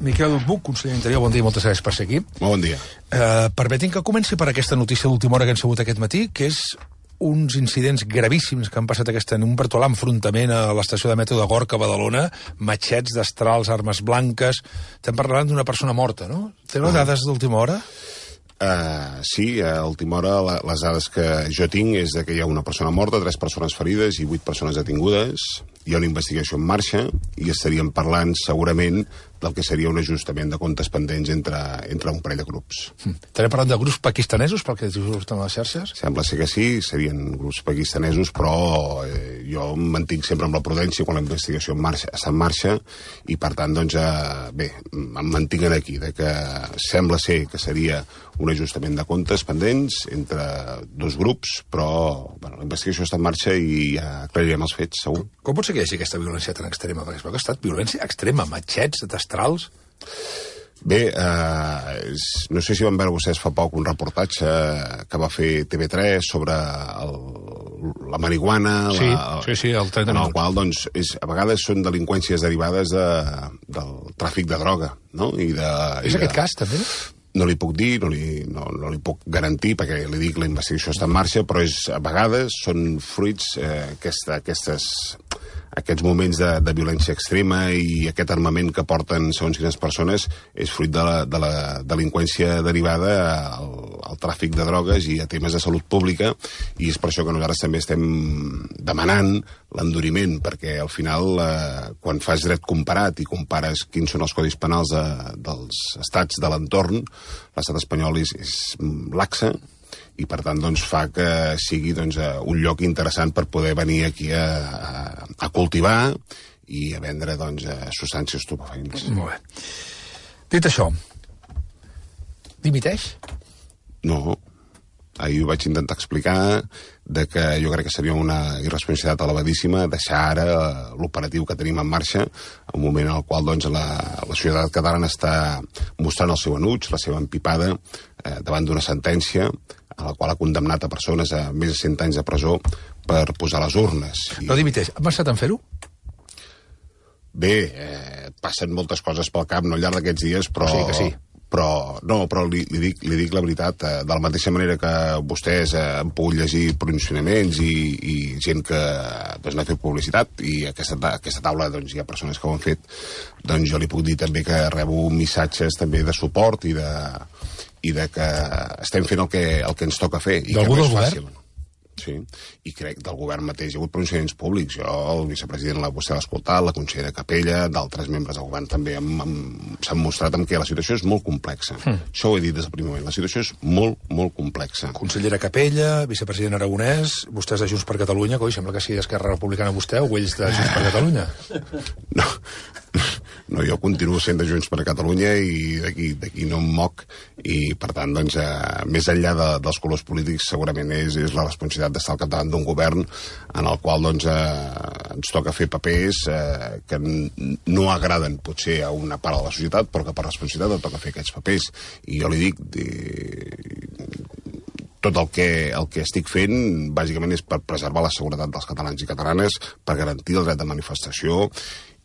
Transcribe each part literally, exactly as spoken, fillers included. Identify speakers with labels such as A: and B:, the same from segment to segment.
A: Miquel Buch, conseller d'Interior, bon dia i moltes gràcies per ser aquí.
B: Bon dia.
A: Uh, permetin que comenci per aquesta notícia d'última hora que hem sabut aquest matí, que és uns incidents gravíssims que han passat aquesta en un virtual enfrontament a l'estació de metro de Gorka, a Badalona, matxets, destrals, armes blanques... Estem parlant d'una persona morta, no? Teniu ah. dades d'última hora?
B: Uh, sí, a última hora la, les dades que jo tinc és de que hi ha una persona morta, tres persones ferides i vuit persones detingudes. Hi ha una investigació en marxa i estaríem parlant segurament del que seria un ajustament de comptes pendents entre, entre un parell de grups.
A: Mm. Estarem parlant de grups pakistanesos, pel que surten a les xarxes?
B: Sembla ser que sí, serien grups pakistanesos, però eh, jo em mantinc sempre amb la prudència quan la investigació en marxa, està en marxa i, per tant, doncs, eh, bé, em mantinc aquí, de que sembla ser que seria un ajustament de comptes pendents entre dos grups, però bueno, la investigació està en marxa i ja aclarirem els fets, segur.
A: Com, com pot ser que hi hagi aquesta violència tan extrema? Perquè es veu que ha estat violència extrema, matxets, destrals...
B: Bé, eh, és, no sé si van veure vostès fa poc un reportatge que va fer T V tres sobre el, la marihuana...
A: Sí,
B: la,
A: sí, sí, el trenta
B: en el qual, doncs, és, a vegades són delinqüències derivades de, del tràfic de droga, no? I de,
A: és
B: i
A: aquest
B: de...
A: cas, també?
B: No li puc dir, no li, no, no li puc garantir, perquè li dic la investigació està en marxa, però és, a vegades són fruits eh, aquesta, aquestes, aquests moments de, de violència extrema i aquest armament que porten segons quines persones és fruit de la, de la delinqüència derivada al, al tràfic de drogues i a temes de salut pública, i és per això que nosaltres també estem demanant l'enduriment, perquè al final eh, quan fas dret comparat i compares quins són els codis penals de, dels estats de l'entorn, l'estat espanyol és, és laxa i per tant doncs, fa que sigui doncs, un lloc interessant per poder venir aquí a, a, a cultivar i a vendre doncs, substàncies estupefaents.
A: Molt bé. Dit això, dimiteix?
B: No. Ahir ho vaig intentar explicar de que jo crec que seria una irresponsabilitat elevadíssima deixar ara l'operatiu que tenim en marxa, en un moment en el qual doncs, la, la societat catalana està mostrant el seu enuig, la seva empipada, eh, davant d'una sentència a la qual ha condemnat a persones a més de cent anys de presó per posar les urnes. I...
A: No dimiteix. Ha pensat en fer-ho?
B: Bé, eh, passen moltes coses pel cap, no al llarg d'aquests dies, però...
A: O sigui que sí.
B: Però, no, però li, li, dic, li dic la veritat, eh, de la mateixa manera que vostès eh, han pogut llegir pronunciaments i, i gent que doncs, n'ha fet publicitat, i aquesta, aquesta taula doncs, hi ha persones que ho han fet, doncs jo li puc dir també que rebo missatges també de suport i de, i de que estem fent el que, el que ens toca fer. I
A: d'algú
B: que no
A: del
B: és
A: govern?
B: fàcil. Sí, i crec del govern mateix. Hi ha hagut pronunciaments públics. Jo, el vicepresident, la, vostè l'ha escoltat, la consellera Capella, d'altres membres del govern també s'han mostrat en què la situació és molt complexa. Mm. Això ho he dit des del primer moment. La situació és molt, molt complexa.
A: Consellera Capella, vicepresident Aragonès, vostès de Junts per Catalunya, coi, sembla que sigui Esquerra Republicana vostè o ells de Junts per Catalunya.
B: No, no, jo continuo sent de Junts per Catalunya i d'aquí no em moc, i per tant, doncs, eh, més enllà de, dels colors polítics, segurament és, és la responsabilitat d'estar al capdavant d'un govern en el qual doncs, eh, ens toca fer papers eh, que no agraden potser a una part de la societat, però que per responsabilitat et toca fer aquests papers. I jo li dic, de... tot el que, el que estic fent bàsicament és per preservar la seguretat dels catalans i catalanes, per garantir el dret de manifestació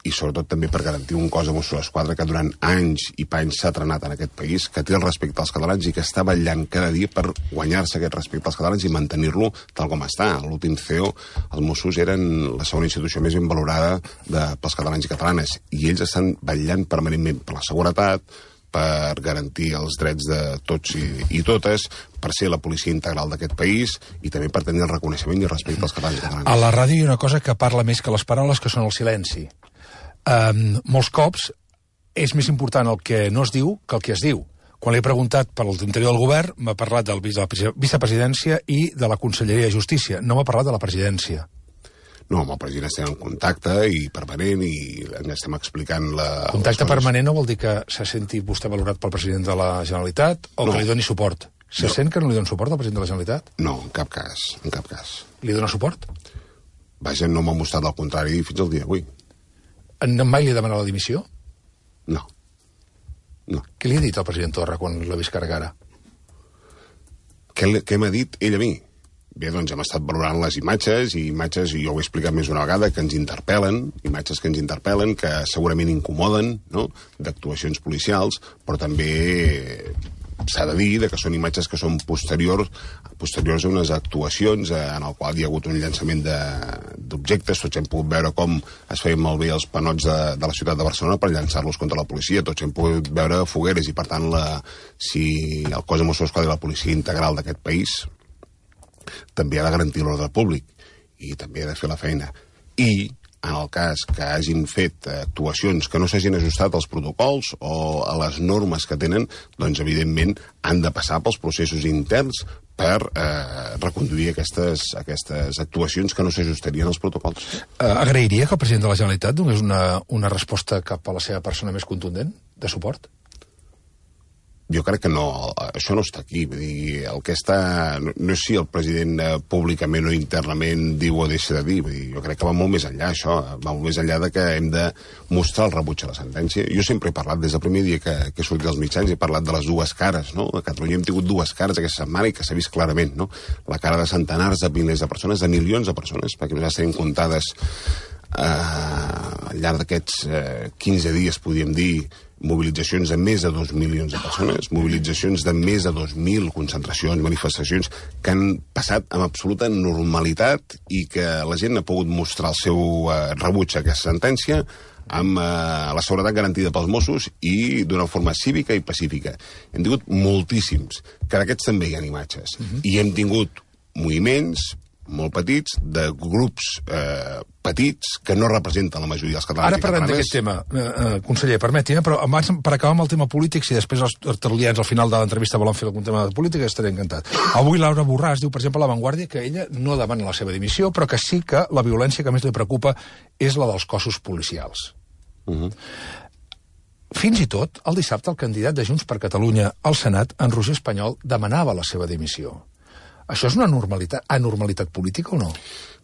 B: i sobretot també per garantir un cos de Mossos d'Esquadra que durant anys i panys s'ha trenat en aquest país, que té el respecte als catalans i que està vetllant cada dia per guanyar-se aquest respecte als catalans i mantenir-lo tal com està. A l'últim C E O, els Mossos eren la segona institució més ben valorada de, pels catalans i catalanes, i ells estan vetllant permanentment per la seguretat, per garantir els drets de tots i, i totes, per ser la policia integral d'aquest país i també per tenir el reconeixement i el respecte als catalans i catalanes.
A: A la ràdio hi ha una cosa que parla més que les paraules, que són el silenci. Um, molts cops és més important el que no es diu que el que es diu. Quan l'he preguntat per l'interior del govern, m'ha parlat del, de la vicepresidència i de la Conselleria de Justícia. No m'ha parlat de la presidència.
B: No, amb el president estem en contacte i permanent i estem explicant la...
A: Contacte permanent no vol dir que se senti vostè valorat pel president de la Generalitat o no. Que li doni suport. Se no. Sent que no li doni suport al president de la Generalitat?
B: No, en cap cas, en cap cas.
A: Li dona suport?
B: Vaja, no m'ha mostrat el contrari fins al dia d'avui.
A: Mai li ha demanat la dimissió?
B: No. No.
A: Què li ha dit al president Torra quan l'ha vist carregar ara?
B: Què, què m'ha dit ell a mi? bé, doncs hem estat valorant les imatges, i imatges, i jo ho he explicat més d'una vegada, que ens interpel·len, imatges que ens interpel·len, que segurament incomoden, no?, d'actuacions policials, però també s'ha de dir que són imatges que són posteriors, posteriors a unes actuacions en el qual hi ha hagut un llançament d'objectes. Tots hem pogut veure com es feien malbé els panots de, de la ciutat de Barcelona per llançar-los contra la policia. Tots hem pogut veure fogueres i, per tant, la, si el cos de Mossos d'Esquadra i la policia integral d'aquest país també ha de garantir l'ordre públic i també ha de fer la feina. I en el cas que hagin fet actuacions que no s'hagin ajustat als protocols o a les normes que tenen, doncs, evidentment, han de passar pels processos interns per eh, reconduir aquestes, aquestes actuacions que no s'ajustarien als protocols.
A: Eh, agrairia que el president de la Generalitat donés una, una resposta cap a la seva persona més contundent, de suport?
B: Jo crec que no, això no està aquí. Vull dir, el que està... No, no és si el president eh, públicament o internament diu o deixa de dir. Vull dir, jo crec que va molt més enllà, això. Va molt més enllà de que hem de mostrar el rebuig a la sentència. Jo sempre he parlat, des del primer dia que, que he sortit dels mitjans, he parlat de les dues cares, no? A Catalunya hem tingut dues cares aquesta setmana i que s'ha vist clarament, no? La cara de centenars de milers de persones, de milions de persones, perquè nosaltres tenim comptades eh, al llarg d'aquests eh, quinze dies, podríem dir, mobilitzacions de més de dos milions de persones, mobilitzacions de més de dos mil concentracions, manifestacions que han passat amb absoluta normalitat i que la gent ha pogut mostrar el seu eh, rebuig a aquesta sentència amb eh, la seguretat garantida pels Mossos i d'una forma cívica i pacífica. Hem tingut moltíssims, que d'aquests també hi ha imatges. Uh-huh. I hem tingut moviments molt petits, de grups eh, petits que no representen la majoria dels catalans.
A: Ara parlem d'aquest tema, eh, eh, conseller, permeti'm, però abans, per acabar amb el tema polític, si després els tertulians al final de l'entrevista volen fer algun tema de política, estaré encantat. Avui Laura Borràs diu, per exemple, a La Vanguardia, que ella no demana la seva dimissió, però que sí que la violència que més li preocupa és la dels cossos policials. Uh-huh. Fins i tot, el dissabte, el candidat de Junts per Catalunya al Senat, en Roger Espanyol, demanava la seva dimissió. Això és una normalitat, anormalitat política o no?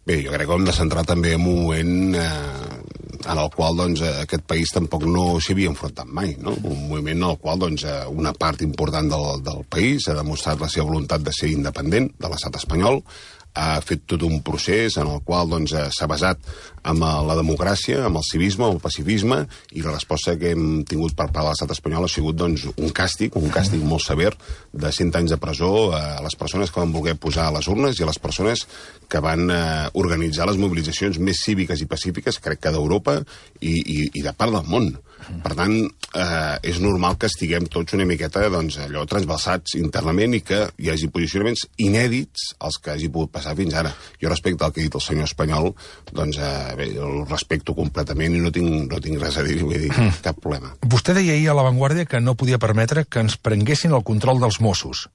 B: Bé, jo crec que hem de centrar també en un moment eh, en el qual doncs, aquest país tampoc no s'hi havia enfrontat mai, no? Un moviment en el qual doncs, una part important del, del país ha demostrat la seva voluntat de ser independent de l'estat espanyol, ha fet tot un procés en el qual doncs, s'ha basat en la democràcia, amb el civisme, el pacifisme, i la resposta que hem tingut per part de l'estat espanyol ha sigut doncs, un càstig, un càstig molt sever de cent anys de presó a les persones que van voler posar a les urnes i a les persones que van eh, organitzar les mobilitzacions més cíviques i pacífiques, crec que d'Europa i, i, i de part del món. Per tant, eh, és normal que estiguem tots una miqueta doncs, allò transbalsats internament i que hi hagi posicionaments inèdits als que hagi pogut passar fins ara. Jo respecte al que ha dit el senyor Espanyol, doncs eh, bé, el respecto completament i no tinc, no tinc res a dir, vull dir, mm. cap problema.
A: Vostè deia ahir a La Vanguardia que no podia permetre que ens prenguessin el control dels Mossos.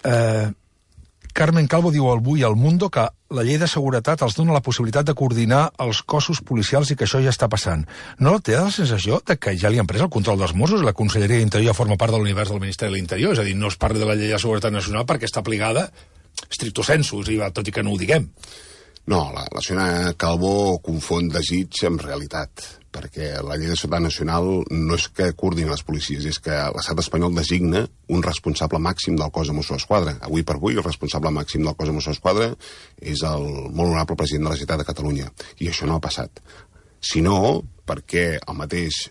A: Eh... Carmen Calvo diu avui al Mundo que la llei de seguretat els dona la possibilitat de coordinar els cossos policials i que això ja està passant. No té la sensació de que ja li han pres el control dels Mossos i la Conselleria d'Interior forma part de l'univers del Ministeri de l'Interior? És a dir, no es parla de la llei de seguretat nacional perquè està aplicada stricto sensus, i va, tot i que no ho diguem.
B: No, la, la senyora Calvo confon desig amb realitat, perquè la llei de seguretat nacional no és que coordini les policies, és que l'estat espanyol designa un responsable màxim del cos de Mossos d'Esquadra. Avui per avui el responsable màxim del cos de Mossos d'Esquadra és el molt honorable president de la Generalitat de Catalunya, i això no ha passat. Si no, perquè el mateix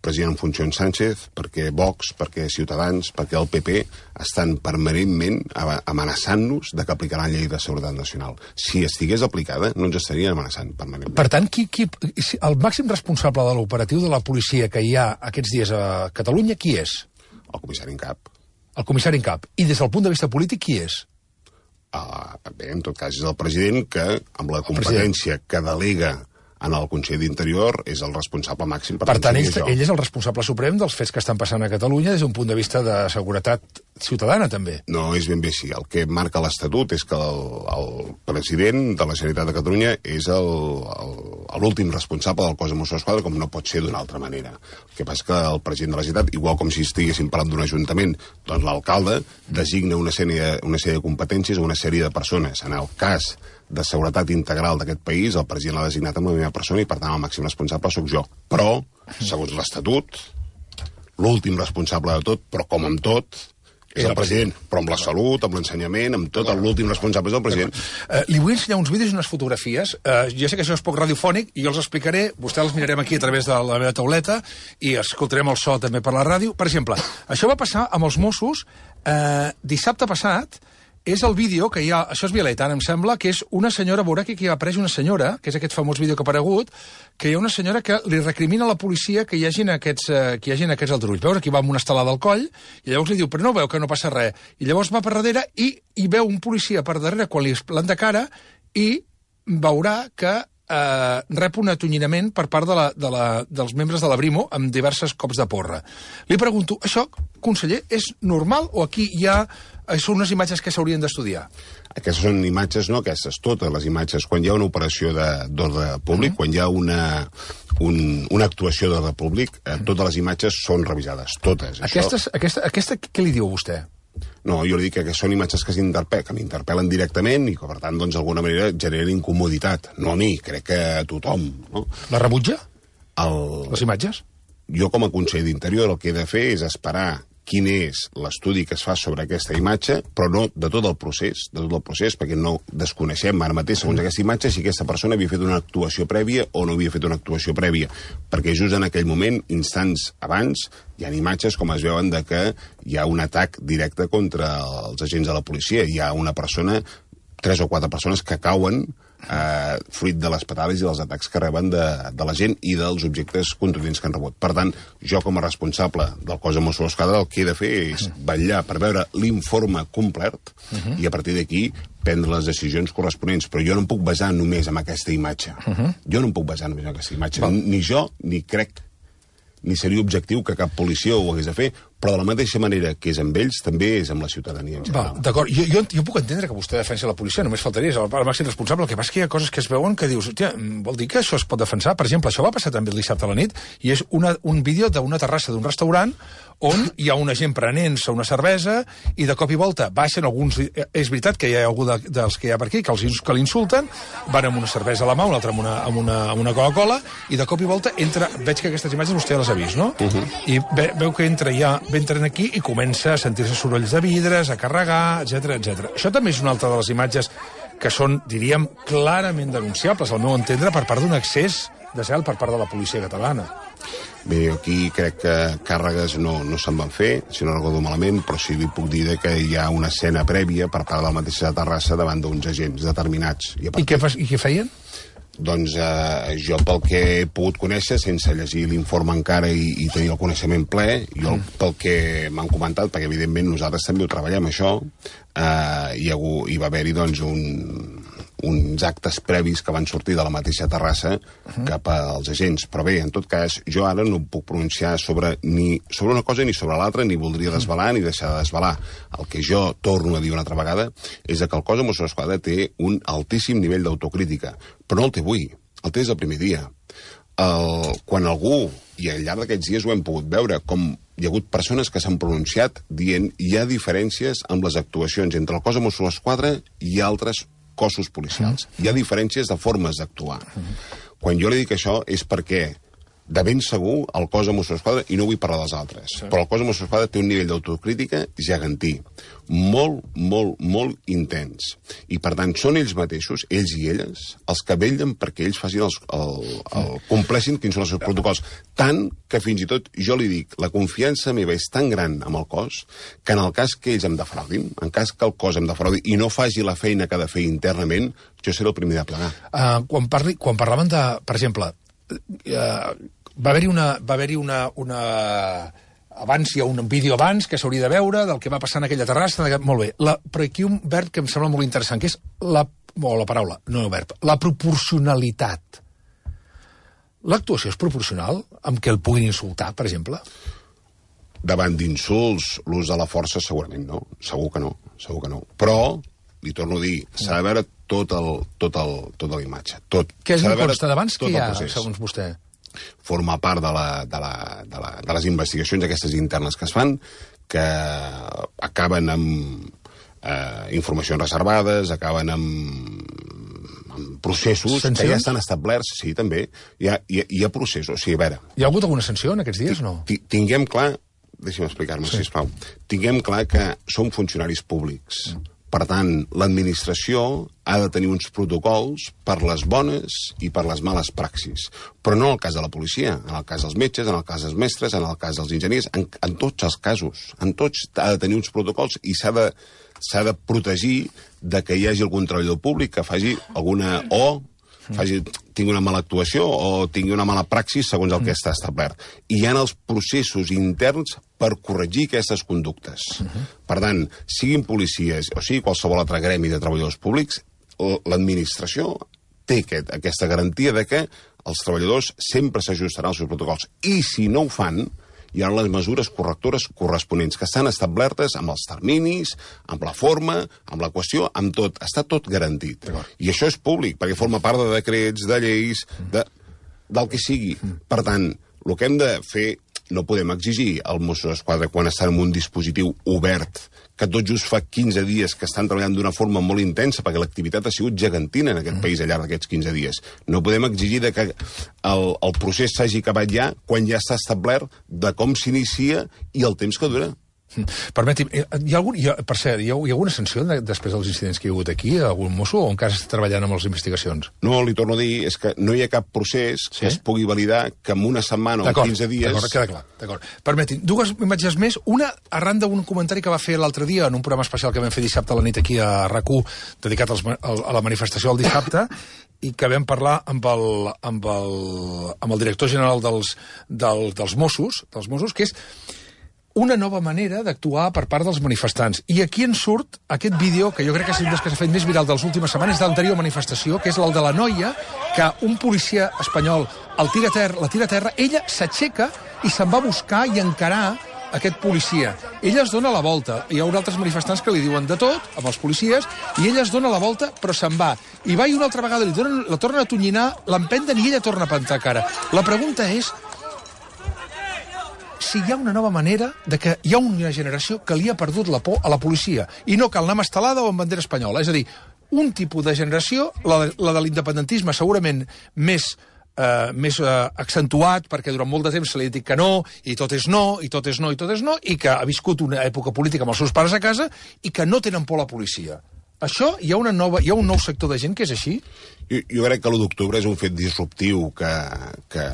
B: president en funcions Sánchez, perquè Vox, perquè Ciutadans, perquè el P P estan permanentment amenaçant-nos de que aplicaran la llei de seguretat nacional. Si estigués aplicada, no ens estarien amenaçant permanentment.
A: Per tant, qui, qui, el màxim responsable de l'operatiu de la policia que hi ha aquests dies a Catalunya, qui és?
B: El comissari en cap.
A: El comissari en cap. I des del punt de vista polític, qui és?
B: Uh, bé, en tot cas, és el president que, amb la competència que delega en el Consell d'Interior, és el responsable màxim.
A: Per, per tant, ell, ell és el responsable suprem dels fets que estan passant a Catalunya des d'un punt de vista de seguretat ciutadana, també.
B: No, és ben bé així. El que marca l'Estatut és que el, el president de la Generalitat de Catalunya és l'últim responsable del cos de Mossos d'Esquadra, com no pot ser d'una altra manera. El que passa que el president de la Generalitat, igual com si estiguéssim parlant d'un ajuntament, doncs l'alcalde designa una sèrie, una sèrie de competències a una sèrie de persones. En el cas de seguretat integral d'aquest país, el president l'ha designat amb la meva persona i, per tant, el màxim responsable sóc jo. Però, segons l'Estatut, l'últim responsable de tot, però com amb tot, És el president, però amb la salut, amb l'ensenyament, amb tot l'últim responsable és el president.
A: Uh, li vull ensenyar uns vídeos i unes fotografies. Uh, jo sé que això és poc radiofònic i jo els explicaré, vostè els mirarem aquí a través de la meva tauleta i escoltarem el so també per la ràdio. Per exemple, això va passar amb els Mossos uh, dissabte passat. És el vídeo que hi ha, això és Violeta, em sembla, que és una senyora, veurà que aquí ha apareix una senyora, que és aquest famós vídeo que ha aparegut, que hi ha una senyora que li recrimina a la policia que hi hagin aquests, eh, que hi hagin aquests aldarulls. Veus, aquí va amb una estelada al coll, i llavors li diu, però no veu que no passa res. I llavors va per darrere i, i veu un policia per darrere quan li planta cara i veurà que eh, rep un atonyinament per part de la, de la, dels membres de la Brimo amb diversos cops de porra. Li pregunto, això, conseller, és normal o aquí hi ha... són unes imatges que s'haurien d'estudiar?
B: Aquestes són imatges, no aquestes, totes les imatges. Quan hi ha una operació d'ordre públic, mm. quan hi ha una, un, una actuació d'ordre públic, eh, totes les imatges són revisades, totes.
A: Aquestes, això... aquesta, aquesta, què li diu a vostè?
B: No, jo li dic que són imatges que s'interpel·len, que m'interpel·len directament i que, per tant, doncs, d'alguna manera generen incomoditat. No a mi, crec que a tothom. No?
A: La rebutja?
B: El...
A: Les imatges?
B: Jo, com a conseller d'Interior, el que he de fer és esperar quin és l'estudi que es fa sobre aquesta imatge, però no de tot el procés, de tot el procés, perquè no desconeixem ara mateix, segons aquesta imatge, si aquesta persona havia fet una actuació prèvia o no havia fet una actuació prèvia. Perquè just en aquell moment, instants abans, hi ha imatges com es veuen de que hi ha un atac directe contra els agents de la policia. Hi ha una persona, tres o quatre persones que cauen eh, fruit de les patades i dels atacs que reben de, de la gent i dels objectes contundents que han rebut. Per tant, jo com a responsable del cos de Mossos d'Esquadra el que he de fer és vetllar per veure l'informe complet uh -huh. i a partir d'aquí prendre les decisions corresponents. Però jo no em puc basar només en aquesta imatge. Uh -huh. Jo no em puc basar només en aquesta imatge. Val. Ni jo, ni crec, ni seria objectiu que cap policia ho hagués de fer, però de la mateixa manera que és amb ells, també és amb la ciutadania en general.
A: Va, d'acord. Jo, jo, jo puc entendre que vostè defensi la policia, només faltaria, és el, el màxim responsable. El que passa és que hi ha coses que es veuen que dius, hòstia, vol dir que això es pot defensar? Per exemple, això va passar també el dissabte a la nit, i és una, un vídeo d'una terrassa d'un restaurant on hi ha una gent prenent-se una cervesa i de cop i volta baixen alguns... És veritat que hi ha algú de, dels que hi ha per aquí que, els, que l'insulten, van amb una cervesa a la mà, un altre amb una, amb una, amb una Coca-Cola, i de cop i volta entra... Veig que aquestes imatges vostè les ha vist, no? Uh -huh. I ve, veu que entra ja, entren aquí i comença a sentir-se sorolls de vidres, a carregar, etcètera, etcètera. Això també és una altra de les imatges que són, diríem, clarament denunciables, al meu entendre, per part d'un excés de zel per part de la policia catalana.
B: Bé, aquí crec que càrregues no, no se'n van fer, si no recordo malament, però sí li puc dir que hi ha una escena prèvia per part de la mateixa Terrassa davant d'uns agents determinats.
A: I, I, què, fa, I què feien?
B: Doncs eh, jo, pel que he pogut conèixer, sense llegir l'informe encara i, i tenir el coneixement ple, jo mm. pel que m'han comentat, perquè evidentment nosaltres també ho treballem, això, eh, hi, ha, hi va haver-hi doncs, un, uns actes previs que van sortir de la mateixa Terrassa uh-huh. cap als agents. Però bé, en tot cas, jo ara no puc pronunciar sobre, ni sobre una cosa ni sobre l'altra, ni voldria desvelar ni deixar de desvelar. El que jo torno a dir una altra vegada és que el cos de Mossos d'Esquadra té un altíssim nivell d'autocrítica, però no el té avui, el té des del primer dia. El, quan algú, i al llarg d'aquests dies ho hem pogut veure, com hi ha hagut persones que s'han pronunciat dient hi ha diferències amb les actuacions entre el cos de Mossos d'Esquadra i altres cossos policials. Hi ha diferències de formes d'actuar. Quan jo li dic això és perquè de ben segur el cos de Mossos d'Esquadra, i no vull parlar dels altres, sí. però el cos de Mossos d'Esquadra té un nivell d'autocrítica gegantí, molt, molt, molt intens. I per tant són ells mateixos, ells i elles, els que vetllen perquè ells facin els, el, el, compleixin quins són els seus protocols. Tant que fins i tot jo li dic, la confiança meva és tan gran amb el cos que en el cas que ells em defraudin, en cas que el cos em defraudi i no faci la feina que ha de fer internament, jo seré el primer de plegar.
A: Uh, quan, parli, quan parlaven de, per exemple, uh, va haver-hi una, va haver-hi una, una... Abans hi ha un vídeo abans que s'hauria de veure del que va passar en aquella terrassa. Molt bé. La, però aquí un verb que em sembla molt interessant, que és la, o la paraula, no el verb, la proporcionalitat. L'actuació és proporcional amb què el puguin insultar, per exemple?
B: Davant d'insults, l'ús de la força segurament no. Segur que no, segur que no. Però, li torno a dir, s'ha de veure tot el, tot el, tota la imatge. Tot.
A: Què és el consta d'abans que hi ha, segons vostè?
B: Forma part de, la, de, la, de, la, de les investigacions aquestes internes que es fan, que acaben amb eh, informacions reservades, acaben amb, amb processos Sancions? Que ja estan establerts. Sí, també. Hi ha, hi ha, hi ha processos. Sí, a veure.
A: Hi ha hagut alguna sanció en aquests dies o no?
B: Tinguem clar deixi'm explicar-me, sí. sisplau. Tinguem clar que som funcionaris públics. Mm. Per tant, l'administració ha de tenir uns protocols per les bones i per les males praxis. Però no en el cas de la policia, en el cas dels metges, en el cas dels mestres, en el cas dels enginyers, en, en tots els casos. En tots ha de tenir uns protocols i s'ha de, s'ha de protegir de que hi hagi algun treballador públic que faci alguna... o faci, tingui una mala actuació o tingui una mala praxis segons el que està establert. I hi ha els processos interns per corregir aquestes conductes. Uh-huh. Per tant, siguin policies o sigui qualsevol altre gremi de treballadors públics, l'administració té aquest, aquesta garantia de que els treballadors sempre s'ajustaran als seus protocols. I si no ho fan, hi ha les mesures correctores corresponents, que estan establertes amb els terminis, amb la forma, amb la qüestió, amb tot. Està tot garantit. I això és públic, perquè forma part de decrets, de lleis, de, del que sigui. Per tant, el que hem de fer, no podem exigir al Mossos d'Esquadra quan estan en un dispositiu obert, que tot just fa quinze dies que estan treballant d'una forma molt intensa, perquè l'activitat ha sigut gegantina en aquest mm. país al llarg d'aquests quinze dies. No podem exigir de que el, el procés s'hagi acabat ja quan ja està establert de com s'inicia i el temps que dura.
A: Permeti'm, hi ha algun, hi ha, per cert, hi ha, hi ha alguna sanció de, després dels incidents que hi ha hagut aquí, algun mosso, o encara està treballant amb les investigacions?
B: No, li torno a dir, és que no hi ha cap procés sí? que es pugui validar que en una setmana o en quinze dies...
A: D'acord, queda clar, d'acord. Permeti'm, dues imatges més, una arran d'un comentari que va fer l'altre dia en un programa especial que vam fer dissabte a la nit aquí a R A C u, dedicat als, a la manifestació del dissabte, i que vam parlar amb el, amb el, amb el director general dels, del, dels Mossos, dels Mossos, que és una nova manera d'actuar per part dels manifestants. I aquí ens surt aquest vídeo, que jo crec que és un dels que s'ha fet més viral de les últimes setmanes, de l'anterior manifestació, que és el de la noia, que un policia espanyol el tira a terra, la tira a terra, ella s'aixeca i se'n va buscar i encarar aquest policia. Ella es dona la volta. Hi haurà altres manifestants que li diuen de tot, amb els policies, i ella es dona la volta, però se'n va. I va i una altra vegada li donen, la tornen a tonyinar, l'empenten i ella torna a plantar cara. La pregunta és si hi ha una nova manera de que hi ha una generació que li ha perdut la por a la policia i no cal anar amb estelada o amb bandera espanyola. És a dir, un tipus de generació, la, la de l'independentisme segurament més, eh, més eh, accentuat, perquè durant molt de temps se li ha dit que no, i tot és no, i tot és no, i tot és no, i que ha viscut una època política amb els seus pares a casa i que no tenen por a la policia. Això, hi ha, una nova, hi ha un nou sector de gent que és així?
B: Jo, jo crec que l'u d'octubre és un fet disruptiu, que, que,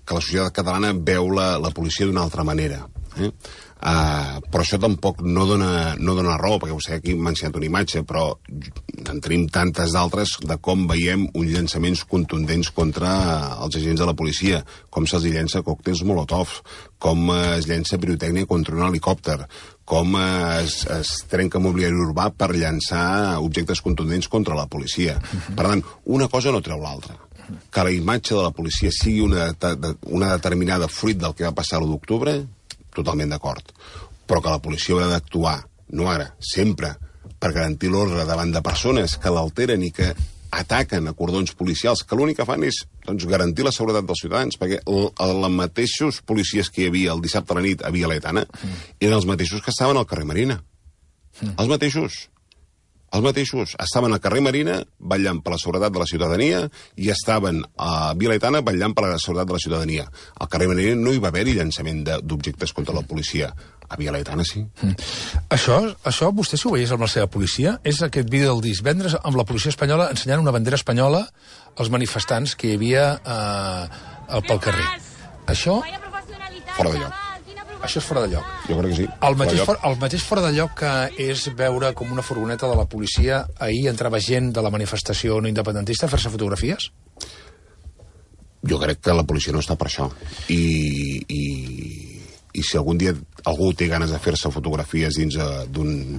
B: que la societat catalana veu la, la policia d'una altra manera. Eh? Uh, però això tampoc no dona, no dona raó, perquè vostè aquí m'ha ensenyat una imatge, però en tenim tantes d'altres de com veiem uns llançaments contundents contra els agents de la policia, com se'ls llença còctels molotov, com es llença pirotècnia contra un helicòpter, com es, es trenca mobiliari urbà per llançar objectes contundents contra la policia. Uh-huh. Per tant, una cosa no treu l'altra. Que la imatge de la policia sigui una, una determinada fruit del que va passar l'u d'octubre, totalment d'acord. Però que la policia haurà d'actuar, no ara, sempre, per garantir l'ordre davant de persones que l'alteren i que ataquen a cordons policials, que l'únic que fan és doncs, garantir la seguretat dels ciutadans, perquè els mateixos policies que hi havia el dissabte a la nit a Via Laietana mm. eren els mateixos que estaven al carrer Marina. Mm. Els mateixos. Els mateixos estaven al carrer Marina vetllant per la seguretat de la ciutadania i estaven a Via Laietana vetllant per la seguretat de la ciutadania. Al carrer Marina no hi va haver-hi llançament d'objectes contra la policia. A Via Laietana sí. Mm. Això, això, vostè si ho veiés amb la seva policia, és aquest vídeo del divendres amb la policia espanyola ensenyant una bandera espanyola als manifestants que hi havia eh, pel carrer. Això, fora de lloc. Això és fora de lloc. Jo crec que sí. El mateix, for, el mateix fora de lloc que és veure com una furgoneta de la policia ahir entrava gent de la manifestació no independentista a fer-se fotografies? Jo crec que la policia no està per això. I, i, i si algun dia algú té ganes de fer-se fotografies dins d'un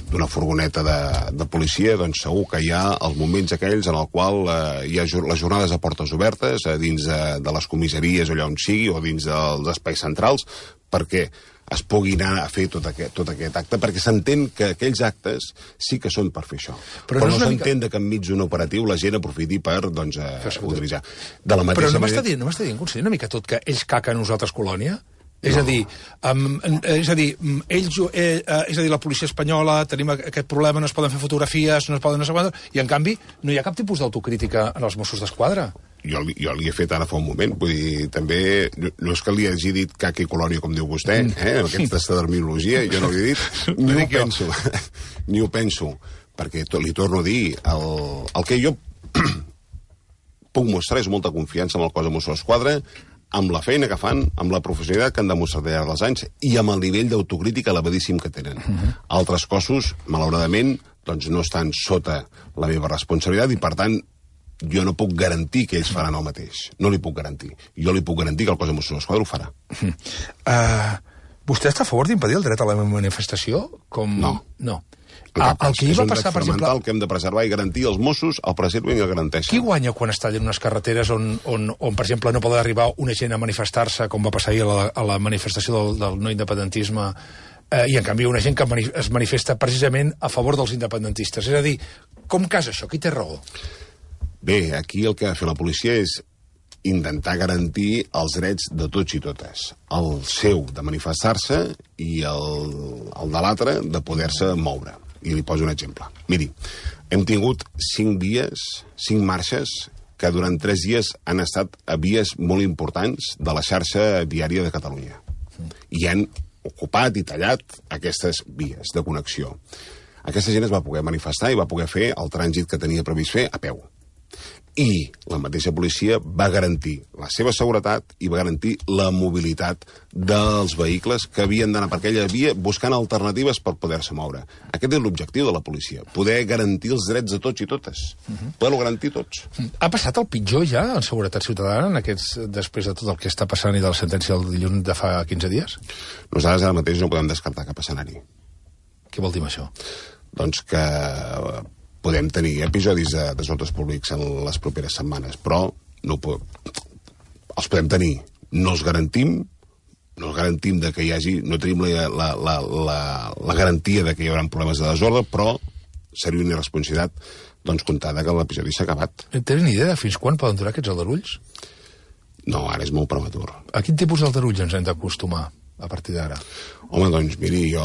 B: d'una furgoneta de, de policia, doncs segur que hi ha els moments aquells en el qual eh, hi ha les jornades a portes obertes, eh, dins de, de les comissaries o allà on sigui, o dins dels espais centrals, perquè es pugui anar a fer tot aquest, tot aquest acte, perquè s'entén que aquells actes sí que són per fer això. Però, Però no, no s'entén mica... que enmig d'un operatiu la gent aprofiti per doncs, eh, utilitzar. De la mateixa
A: Però no
B: manera...
A: m'està dient, no m'està dient, conseller, una mica tot que ells caquen a nosaltres colònia? És no. a dir, um, és a dir, ells, eh, eh, és a dir, la policia espanyola, tenim aquest problema, no es poden fer fotografies, no es poden... No sé quant, i en canvi no hi ha cap tipus d'autocrítica en els Mossos d'Esquadra.
B: Jo, jo li he fet ara fa un moment, vull dir, també, no, no és que li hagi dit caca i colònia, com diu vostè, eh, aquesta terminologia, jo no li he dit, ni ho penso, ni ho penso, perquè to, li torno a dir, el, el que jo puc mostrar és molta confiança en el cos de Mossos d'Esquadra, amb la feina que fan, amb la professionalitat que han demostrat al llarg dels anys i amb el nivell d'autocrítica elevadíssim que tenen. Uh-huh. Altres cossos, malauradament, doncs no estan sota la meva responsabilitat i, per tant, jo no puc garantir que ells faran el mateix. No li puc garantir. Jo li puc garantir que el cos de Mossos d'Esquadra ho farà.
A: Uh, vostè està a favor d'impedir el dret a la manifestació? Com...
B: No.
A: No. Ah, el que hi va passar, per exemple...
B: que hem de preservar i garantir els Mossos, el preserven i el garanteixen.
A: Qui guanya quan es tallen unes carreteres on, on, on per exemple, no pot arribar una gent a manifestar-se, com va passar ahir a la, a la manifestació del, del no independentisme, eh, i en canvi una gent que mani es manifesta precisament a favor dels independentistes? És a dir, com casa això? Qui té raó?
B: Bé, aquí el que ha de fer la policia és intentar garantir els drets de tots i totes. El seu de manifestar-se i el, el de l'altre de poder-se moure. I li poso un exemple. Miri, hem tingut cinc dies, cinc marxes, que durant tres dies han estat a vies molt importants de la xarxa viària de Catalunya. I han ocupat i tallat aquestes vies de connexió. Aquesta gent es va poder manifestar i va poder fer el trànsit que tenia previst fer a peu. I la mateixa policia va garantir la seva seguretat i va garantir la mobilitat dels vehicles que havien d'anar per aquella via buscant alternatives per poder-se moure. Aquest és l'objectiu de la policia, poder garantir els drets de tots i totes, uh-huh. poder-ho garantir tots.
A: Ha passat el pitjor ja en seguretat ciutadana en aquests, després de tot el que està passant i de la sentència del dilluns de fa quinze dies?
B: Nosaltres ara mateix no podem descartar cap escenari.
A: Què vol dir amb això?
B: Doncs que podem tenir episodis de desordres públics en les properes setmanes, però no po- els podem tenir. No els garantim, no els garantim de que hi hagi, no tenim la, la, la, la, la garantia de que hi haurà problemes de desordre, però seria una irresponsabilitat doncs, comptar que l'episodi s'ha acabat.
A: Tens ni idea de fins quan poden durar aquests aldarulls?
B: No, ara és molt prematur.
A: A quin tipus d'aldarulls ens hem d'acostumar a partir d'ara?
B: Home, doncs, miri, jo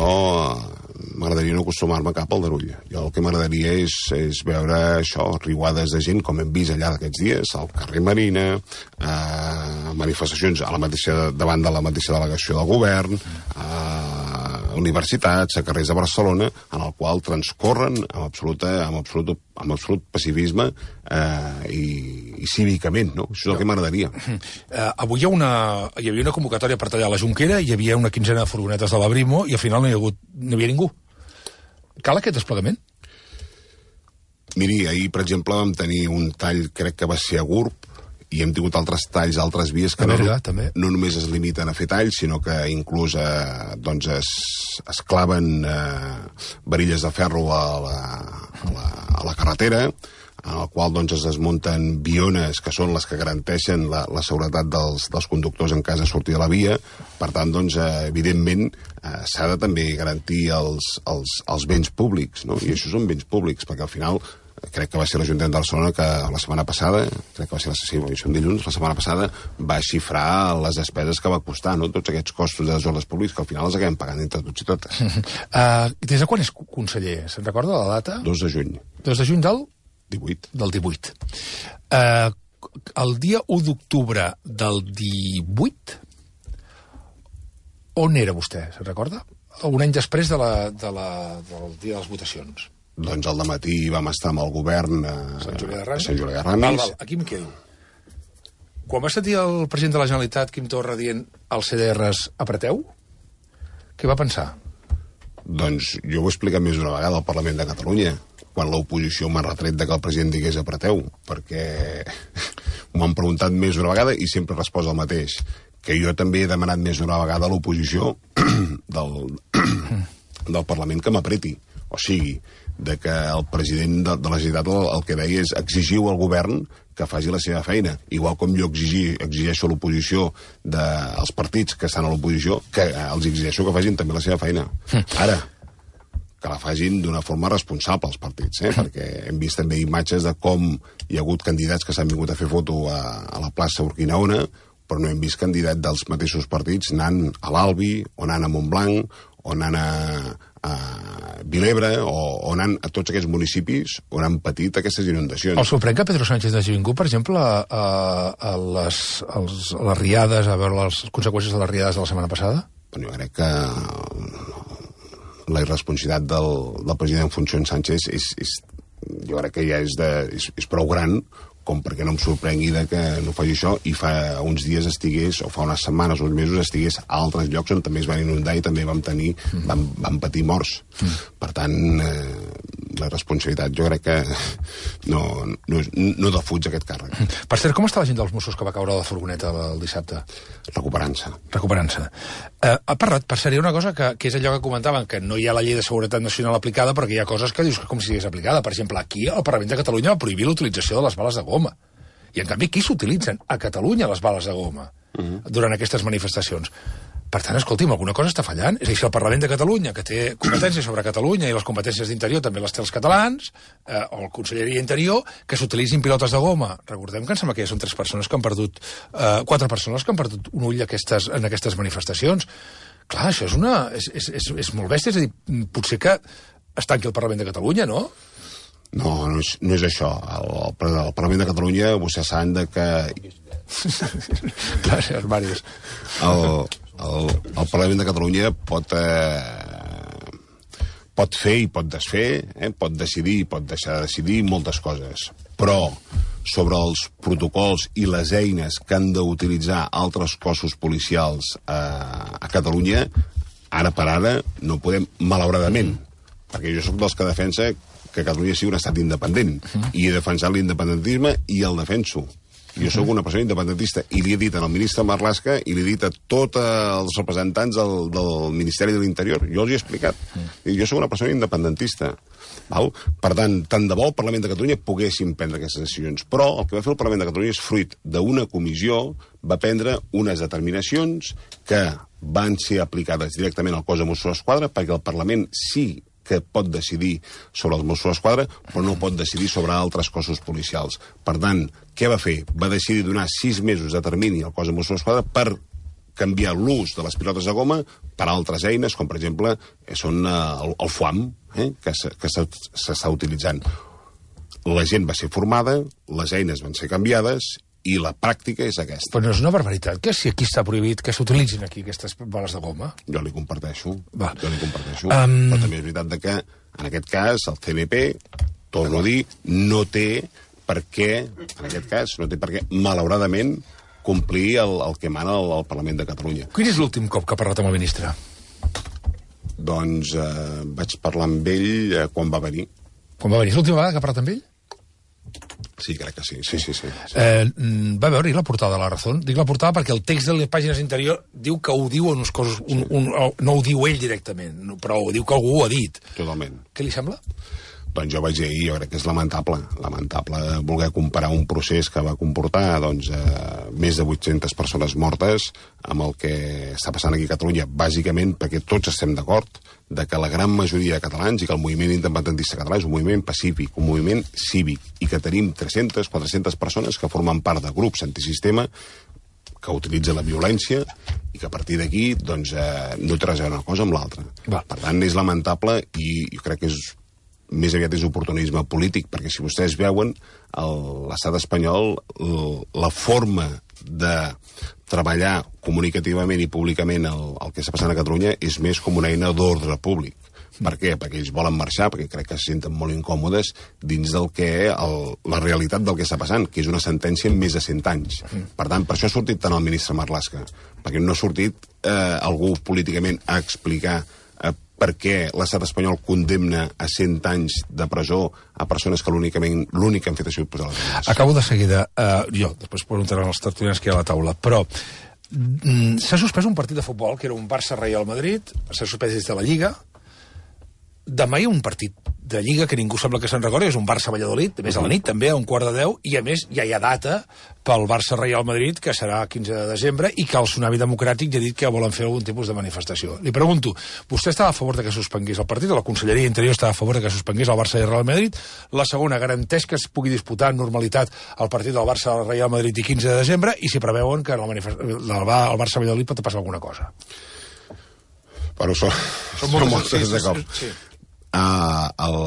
B: m'agradaria no acostumar-me cap al aldarull. Jo el que m'agradaria és, és veure això, riuades de gent, com hem vist allà d'aquests dies, al carrer Marina, eh, manifestacions a la mateixa, davant de la mateixa delegació del govern, a universitats, a carrers de Barcelona, en el qual transcorren amb, absoluta, amb, absolut, amb absolut pacifisme eh, i, i cívicament, no? Això és el que m'agradaria.
A: Uh, avui hi, ha una, hi havia una convocatòria per tallar la Jonquera, hi havia una quinzena de furgonetes de la Brimo i al final no hi, ha hagut, no hi havia ningú. Cal aquest desplegament?
B: Miri, ahir, per exemple, vam tenir un tall, crec que va ser a Gurb, i hem tingut altres talls a altres vies que
A: Berga,
B: no,
A: també.
B: no només es limiten a fer talls, sinó que inclús eh, doncs es, es claven eh, varilles de ferro a la, a la, a la carretera, en el qual doncs, es desmunten biones que són les que garanteixen la, la seguretat dels, dels conductors en cas de sortir de la via. Per tant, doncs, eh, evidentment, eh, s'ha de també garantir els, els, els béns públics, no? I això són béns públics, perquè al final crec que va ser l'Ajuntament de Barcelona que la setmana passada, crec que va ser la sessió sí, dilluns, la setmana passada va xifrar les despeses que va costar, no? Tots aquests costos de desordres públics que al final els acabem pagant entre tots i totes.
A: Uh, des de quan és conseller? Se'n recorda la data?
B: dos de juny.
A: dos de juny del?
B: divuit.
A: Del divuit. Uh, el dia u d'octubre del divuit, on era vostè, se'n recorda? Un any després de la, de la, del dia de les votacions.
B: Doncs al dematí vam estar amb el govern a
A: Sant Julià de Ramis.
B: Sant Julià de Ramis.
A: Val, val, aquí em quedo. Quan va sentir el president de la Generalitat, Quim Torra, dient als C D Rs apreteu, què va pensar?
B: Doncs jo ho he explicat més d'una vegada al Parlament de Catalunya, quan l'oposició m'ha retret de que el president digués apreteu, perquè m'ho han preguntat més d'una vegada i sempre he respost el mateix, que jo també he demanat més d'una vegada a l'oposició del, del Parlament que m'apreti. O sigui, de que el president de, de la Generalitat el, el que deia és exigiu al govern que faci la seva feina, igual com jo exigir, exigeixo a l'oposició dels partits que estan a l'oposició, que els exigeixo que facin també la seva feina. Ara, que la facin d'una forma responsable els partits, eh? Perquè hem vist també imatges de com hi ha hagut candidats que s'han vingut a fer foto a, a la plaça Urquinaona, però no hem vist candidat dels mateixos partits anant a l'Albi, o anant a Montblanc, o anant a, a Vilebre, o, o anant a tots aquests municipis on han patit aquestes inundacions.
A: El sorprèn que Pedro Sánchez hagi vingut, per exemple, a, a, les, als, a les riades, a veure les conseqüències de les riades de la setmana passada?
B: Bueno, jo crec que la irresponsabilitat del, del president en funcions Sánchez és, és, jo crec que ja és, de, és, és prou gran com perquè no em sorprengui de que no faci això i fa uns dies estigués, o fa unes setmanes o uns mesos, estigués a altres llocs on també es van inundar i també vam tenir, mm. vam, vam patir morts. Mm. Per tant, eh, la responsabilitat jo crec que no, no, no defuig aquest càrrec.
A: Mm. Per cert, com està la gent dels Mossos que va caure a la furgoneta el dissabte?
B: Recuperant-se.
A: Recuperant-se. Eh, ha parlat, per cert, hi ha una cosa que, que és allò que comentaven, que no hi ha la llei de seguretat nacional aplicada, perquè hi ha coses que dius que com si estigués aplicada. Per exemple, aquí al Parlament de Catalunya va prohibir l'utilització de les bales de goma. I, en canvi, aquí s'utilitzen a Catalunya les bales de goma uh-huh. durant aquestes manifestacions. Per tant, escolti'm, alguna cosa està fallant. És a dir, si el Parlament de Catalunya, que té competències sobre Catalunya i les competències d'Interior també les té els catalans, eh, o el Conselleria Interior, que s'utilitzin pilotes de goma. Recordem que em sembla que ja són tres persones que han perdut, eh, quatre persones que han perdut un ull aquestes, en aquestes manifestacions. Clar, això és, una, és, és, és, és molt bèstia. És a dir, potser que es tanqui el Parlament de Catalunya, no?
B: No, no és, no és això. El, el, el Parlament de Catalunya, vostès saben de que...
A: Gràcies, Màrius.
B: El, el, el Parlament de Catalunya pot, eh, pot fer i pot desfer, eh, pot decidir i pot deixar de decidir moltes coses. Però sobre els protocols i les eines que han d'utilitzar altres cossos policials a, a Catalunya, ara per ara no podem, malauradament, perquè jo sóc dels que defensa que Catalunya sigui un estat independent, uh-huh. i he defensat l'independentisme i el defenso. Jo sóc una persona independentista i li he dit al ministre Marlaska i li he dit a tots els representants del, del Ministeri de l'Interior. Jo els hi he explicat. Uh-huh. Jo sóc una persona independentista. Val? Per tant, tant de bo el Parlament de Catalunya poguéssim prendre aquestes decisions. Però el que va fer el Parlament de Catalunya és fruit d'una comissió, va prendre unes determinacions que van ser aplicades directament al cos de Mossos d'Esquadra perquè el Parlament sí que pot decidir sobre els Mossos d'Esquadra, però no pot decidir sobre altres cossos policials. Per tant, què va fer? Va decidir donar sis mesos de termini al cos de Mossos d'Esquadra per canviar l'ús de les pilotes de goma per altres eines, com per exemple són el, el F U A M, eh, que s'està utilitzant. La gent va ser formada, les eines van ser canviades i la pràctica és aquesta.
A: Però no és una barbaritat que si aquí està prohibit que s'utilitzin aquí aquestes bales de goma?
B: Jo li comparteixo,
A: Va.
B: jo li comparteixo.
A: Um...
B: Però també és veritat que, en aquest cas, el C N P, torno a dir, no té per què, en aquest cas, no té per què, malauradament, complir el, el que mana el, el Parlament de Catalunya.
A: Quin és l'últim cop que ha parlat amb el ministre?
B: Doncs eh, vaig parlar amb ell eh, quan va venir.
A: Quan va venir? És l'última vegada que ha parlat amb ell?
B: Sí, crec que sí, sí, sí. sí, sí.
A: Eh, va veure la portada de La Razón? Dic la portada perquè el text de les pàgines interior diu que ho diu en uns coses... Un, un, no ho diu ell directament, però ho diu que algú ho ha dit.
B: Totalment.
A: Què li sembla?
B: Doncs jo vaig dir ahir, jo crec que és lamentable, lamentable voler comparar un procés que va comportar doncs, eh, més de vuit-centes persones mortes amb el que està passant aquí a Catalunya, bàsicament perquè tots estem d'acord de que la gran majoria de catalans i que el moviment independentista català és un moviment pacífic, un moviment cívic, i que tenim tres-centes, quatre-centes persones que formen part de grups antisistema que utilitzen la violència i que a partir d'aquí doncs, eh, no té res a veure una cosa amb l'altra. Per tant, és lamentable i jo crec que és més aviat és oportunisme polític, perquè si vostès veuen l'estat espanyol, la forma de treballar comunicativament i públicament el, el que està passant a Catalunya és més com una eina d'ordre públic. Per què? Perquè ells volen marxar, perquè crec que se senten molt incòmodes dins del que el, la realitat del que està passant, que és una sentència en més de cent anys. Per tant, per això ha sortit tant el ministre Marlaska, perquè no ha sortit eh, algú políticament a explicar eh, per què l'estat espanyol condemna a cent anys de presó a persones que l'únic que han fet ha sigut posar les mans.
A: Acabo de seguida. Uh, jo, després preguntaran els tertulians que hi ha a la taula, però mm, s'ha suspès un partit de futbol, que era un Barça-Real Madrid, s'ha suspès des de la Lliga. Demà hi ha un partit de Lliga que ningú sembla que se'n recordi, és un Barça-Valladolid, a més a la nit també, a un quart de deu, i a més ja hi ha data pel Barça-Real Madrid, que serà quinze de desembre, i que el Tsunami Democràtic ja ha dit que volen fer algun tipus de manifestació. Li pregunto, vostè estava a favor de que suspengués el partit, o la Conselleria Interior estava a favor de que suspengués el Barça i el Real Madrid? La segona, garanteix que es pugui disputar en normalitat el partit del Barça-Real Madrid i quinze de desembre, i si preveuen que el, el Barça-Valladolid pot passar alguna cosa?
B: Però són,
A: Són
B: són
A: moltes,
B: moltes
A: sí, sí,
B: d'acord.
A: sí.
B: Uh, el...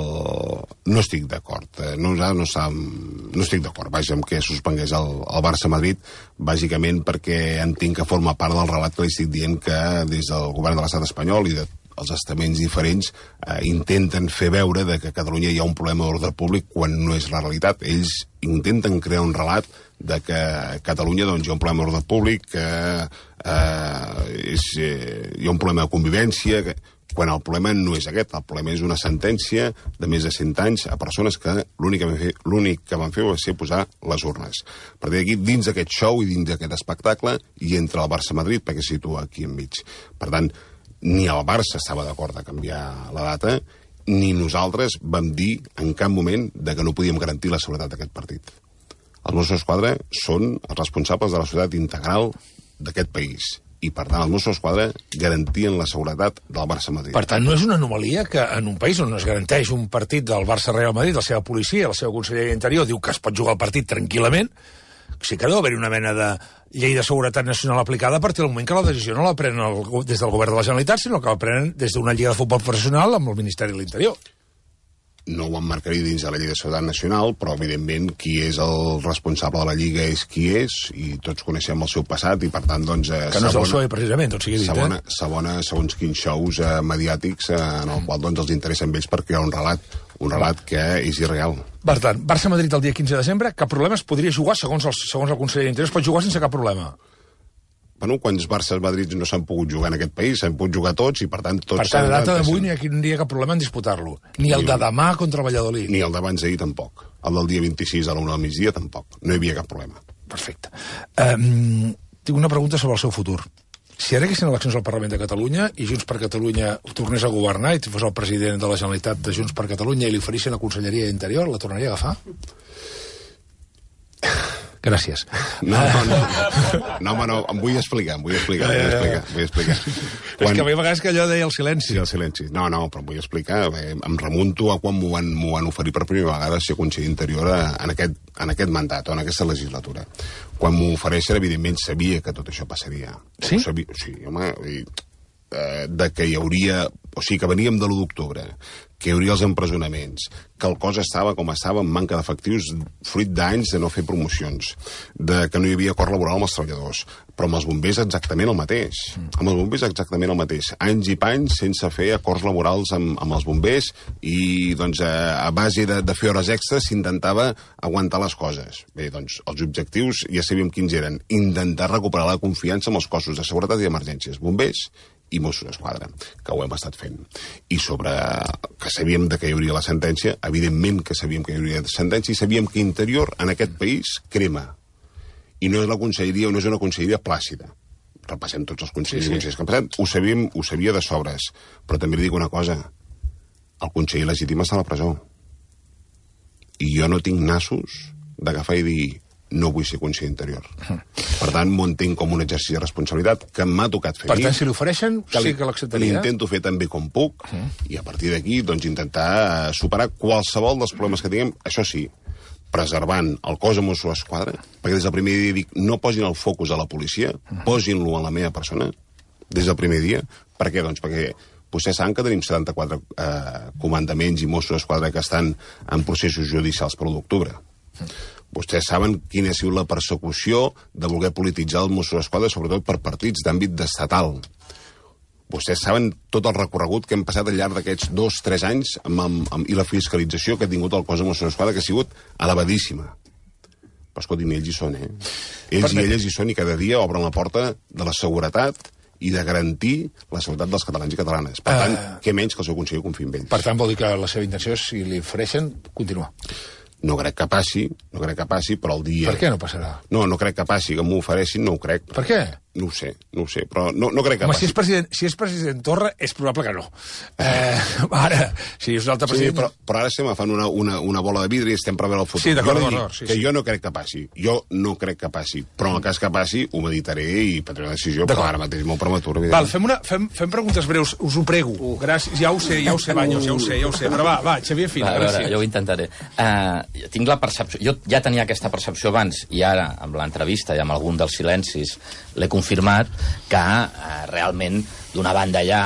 B: No estic d'acord. No, no, no estic d'acord, vaja, amb que suspengués el, el Barça-Madrid, bàsicament perquè entenc que forma part del relat que li estic dient que des del govern de l'estat espanyol i de els estaments diferents eh, intenten fer veure de que a Catalunya hi ha un problema d'ordre públic quan no és la realitat. Ells intenten crear un relat de que a Catalunya doncs, hi ha un problema d'ordre públic, que eh, és, eh, hi ha un problema de convivència, que, quan el problema no és aquest. El problema és una sentència de més de cent anys a persones que l'únic que van fer, l'únic que van fer va ser posar les urnes. A partir d'aquí, dins d'aquest show i dins d'aquest espectacle, hi entra el Barça-Madrid perquè es situa aquí enmig. Per tant, ni el Barça estava d'acord de canviar la data, ni nosaltres vam dir en cap moment de que no podíem garantir la seguretat d'aquest partit. Els Mossos d'Esquadra són els responsables de la seguretat integral d'aquest país i, per tant, els Mossos d'Esquadra garantien la seguretat del Barça-Madrid.
A: Per tant, no és una anomalia que en un país on es garanteix un partit del Barça-Real Madrid, la seva policia, la seva conselleria d'interior diu que es pot jugar el partit tranquil·lament, sí que deu haver-hi una mena de llei de seguretat nacional aplicada a partir del moment que la decisió no la prenen el, des del govern de la Generalitat, sinó que la prenen des d'una lliga de futbol professional amb el Ministeri de l'Interior.
B: No ho emmarcaria dins de la llei de seguretat nacional, però, evidentment, qui és el responsable de la Lliga és qui és, i tots coneixem el seu passat, i, per tant, doncs... Eh,
A: que no és el P S O E, precisament, tot sigui dit,
B: segona,
A: eh?
B: Segona, segons quins shows eh, mediàtics eh, en el qual doncs, els interessen ells per crear un relat, un relat que és irreal.
A: Per tant, Barça-Madrid el dia quinze de desembre, cap problema, es podria jugar, segons el, segons el conseller d'Interior, es pot jugar sense cap problema.
B: Bueno, quants Barça-Madrid no s'han pogut jugar en aquest país, s'han pogut jugar tots i, per tant, tots...
A: Per tant, a data d'avui ni aquí no hi ha cap problema en disputar-lo. Ni el de demà contra el Valladolid.
B: Ni el d'abans d'ahir tampoc. El del dia vint-i-sis a la una del migdia tampoc. No hi havia cap problema.
A: Perfecte. Um, tinc una pregunta sobre el seu futur. Si ara haguessin eleccions al Parlament de Catalunya i Junts per Catalunya tornés a governar i fos el president de la Generalitat de Junts per Catalunya i li oferissin la Conselleria d'Interior, la tornaria a agafar? Gràcies.
B: No, no, no. No, home, no, em vull explicar, em vull explicar, em vull explicar, vull explicar.
A: Quan... És que a mi a vegades que allò deia el silenci.
B: Sí, el silenci. No, no, però em vull explicar. Em remunto a quan m'ho van, m'ho van oferir per primera vegada ser conseller d'Interior en aquest, en aquest mandat, o en aquesta legislatura. Quan m'ho ofereixen, evidentment, sabia que tot això passaria.
A: Sí?
B: Sabia, sí, home, i, eh, de que hi hauria... O sigui, que veníem de l'u d'octubre, que hi hauria els empresonaments, que el cos estava com estava amb manca d'efectius fruit d'anys de no fer promocions, de que no hi havia acord laboral amb els treballadors, però amb els bombers exactament el mateix. Mm. Amb els bombers exactament el mateix. Anys i panys sense fer acords laborals amb, amb els bombers i, doncs, a, a base de, de fer hores extres s'intentava aguantar les coses. Bé, doncs, els objectius ja sabíem quins eren. Intentar recuperar la confiança amb els cossos de seguretat i emergències. Bombers i Mossos d'Esquadra, que ho hem estat fent. I sobre que sabíem de que hi hauria la sentència, evidentment que sabíem que hi hauria la sentència i sabíem que Interior en aquest país crema. I no és la conselleria, no és una conselleria plàcida. Repassem tots els consellers sí, sí. i consellers que han passat. Ho sabíem, ho sabia de sobres. Però també li dic una cosa. El conseller legítim està a la presó. I jo no tinc nassos d'agafar i dir no vull ser conseller d'Interior. Uh-huh. Per tant, m'ho entenc com un exercici de responsabilitat que m'ha tocat fer.
A: Per tant, si l'ofereixen, sí que l'acceptaria.
B: L'intento fer tan bé com puc, uh-huh. i a partir d'aquí, doncs, intentar superar qualsevol dels problemes que tinguem, això sí, preservant el cos de Mossos d'Esquadra, perquè des del primer dia dic, no posin el focus a la policia, uh-huh. posin-lo a la meva persona, des del primer dia. Per què? Doncs perquè vostès saben que tenim setanta-quatre eh, comandaments i Mossos d'Esquadra que estan en processos judicials per l'u d'octubre. Uh-huh. Vostès saben quina ha sigut la persecució de voler polititzar el Mossos d'Esquadra, sobretot per partits d'àmbit estatal. Vostès saben tot el recorregut que hem passat al llarg d'aquests dos, tres anys amb, amb, amb, i la fiscalització que ha tingut el cos de Mossos d'Esquadra, que ha sigut elevadíssima. Però, escolti'm, ells hi són, eh? Ells i elles hi són i cada dia obren la porta de la seguretat i de garantir la seguretat dels catalans i catalanes. Per tant, uh... què menys que el seu conseller confiï en ells.
A: Per tant, vol dir que la seva intenció, si li ofereixen, continuar.
B: No crec que passi, no crec que passi, però el dia...
A: Per què no passarà?
B: No, no crec que passi, que m'ho ofereixin, no ho crec.
A: Per què?
B: No ho sé, no ho sé, però no, no crec que
A: Home,
B: passi.
A: Si és, president, si és president Torra, és probable que no. Eh, ara, si és un altre president...
B: Sí, però, però ara estem agafant una, una, una bola de vidre i estem preveure el futur.
A: Sí, d'acord,
B: jo
A: d'acord. Sí,
B: que
A: sí.
B: jo no crec que passi. Jo no crec que passi. Però en el cas que passi, ho meditaré i prendré una decisió, però ara mateix molt prematura.
A: Val, fem, una, fem, fem preguntes breus, us ho prego. Uh. Gràcies, ja ho sé, ja ho sé, Baños, ja ho sé, ja ho sé. Però va, va, Xavier Fina,
C: va,
A: gràcies.
C: Veure, jo ho intentaré. Uh, tinc la percepció... Jo ja tenia aquesta percepció abans, i ara, amb l'entrevista i amb algun dels silencis, l'he confirmat, que eh, realment, d'una banda hi ha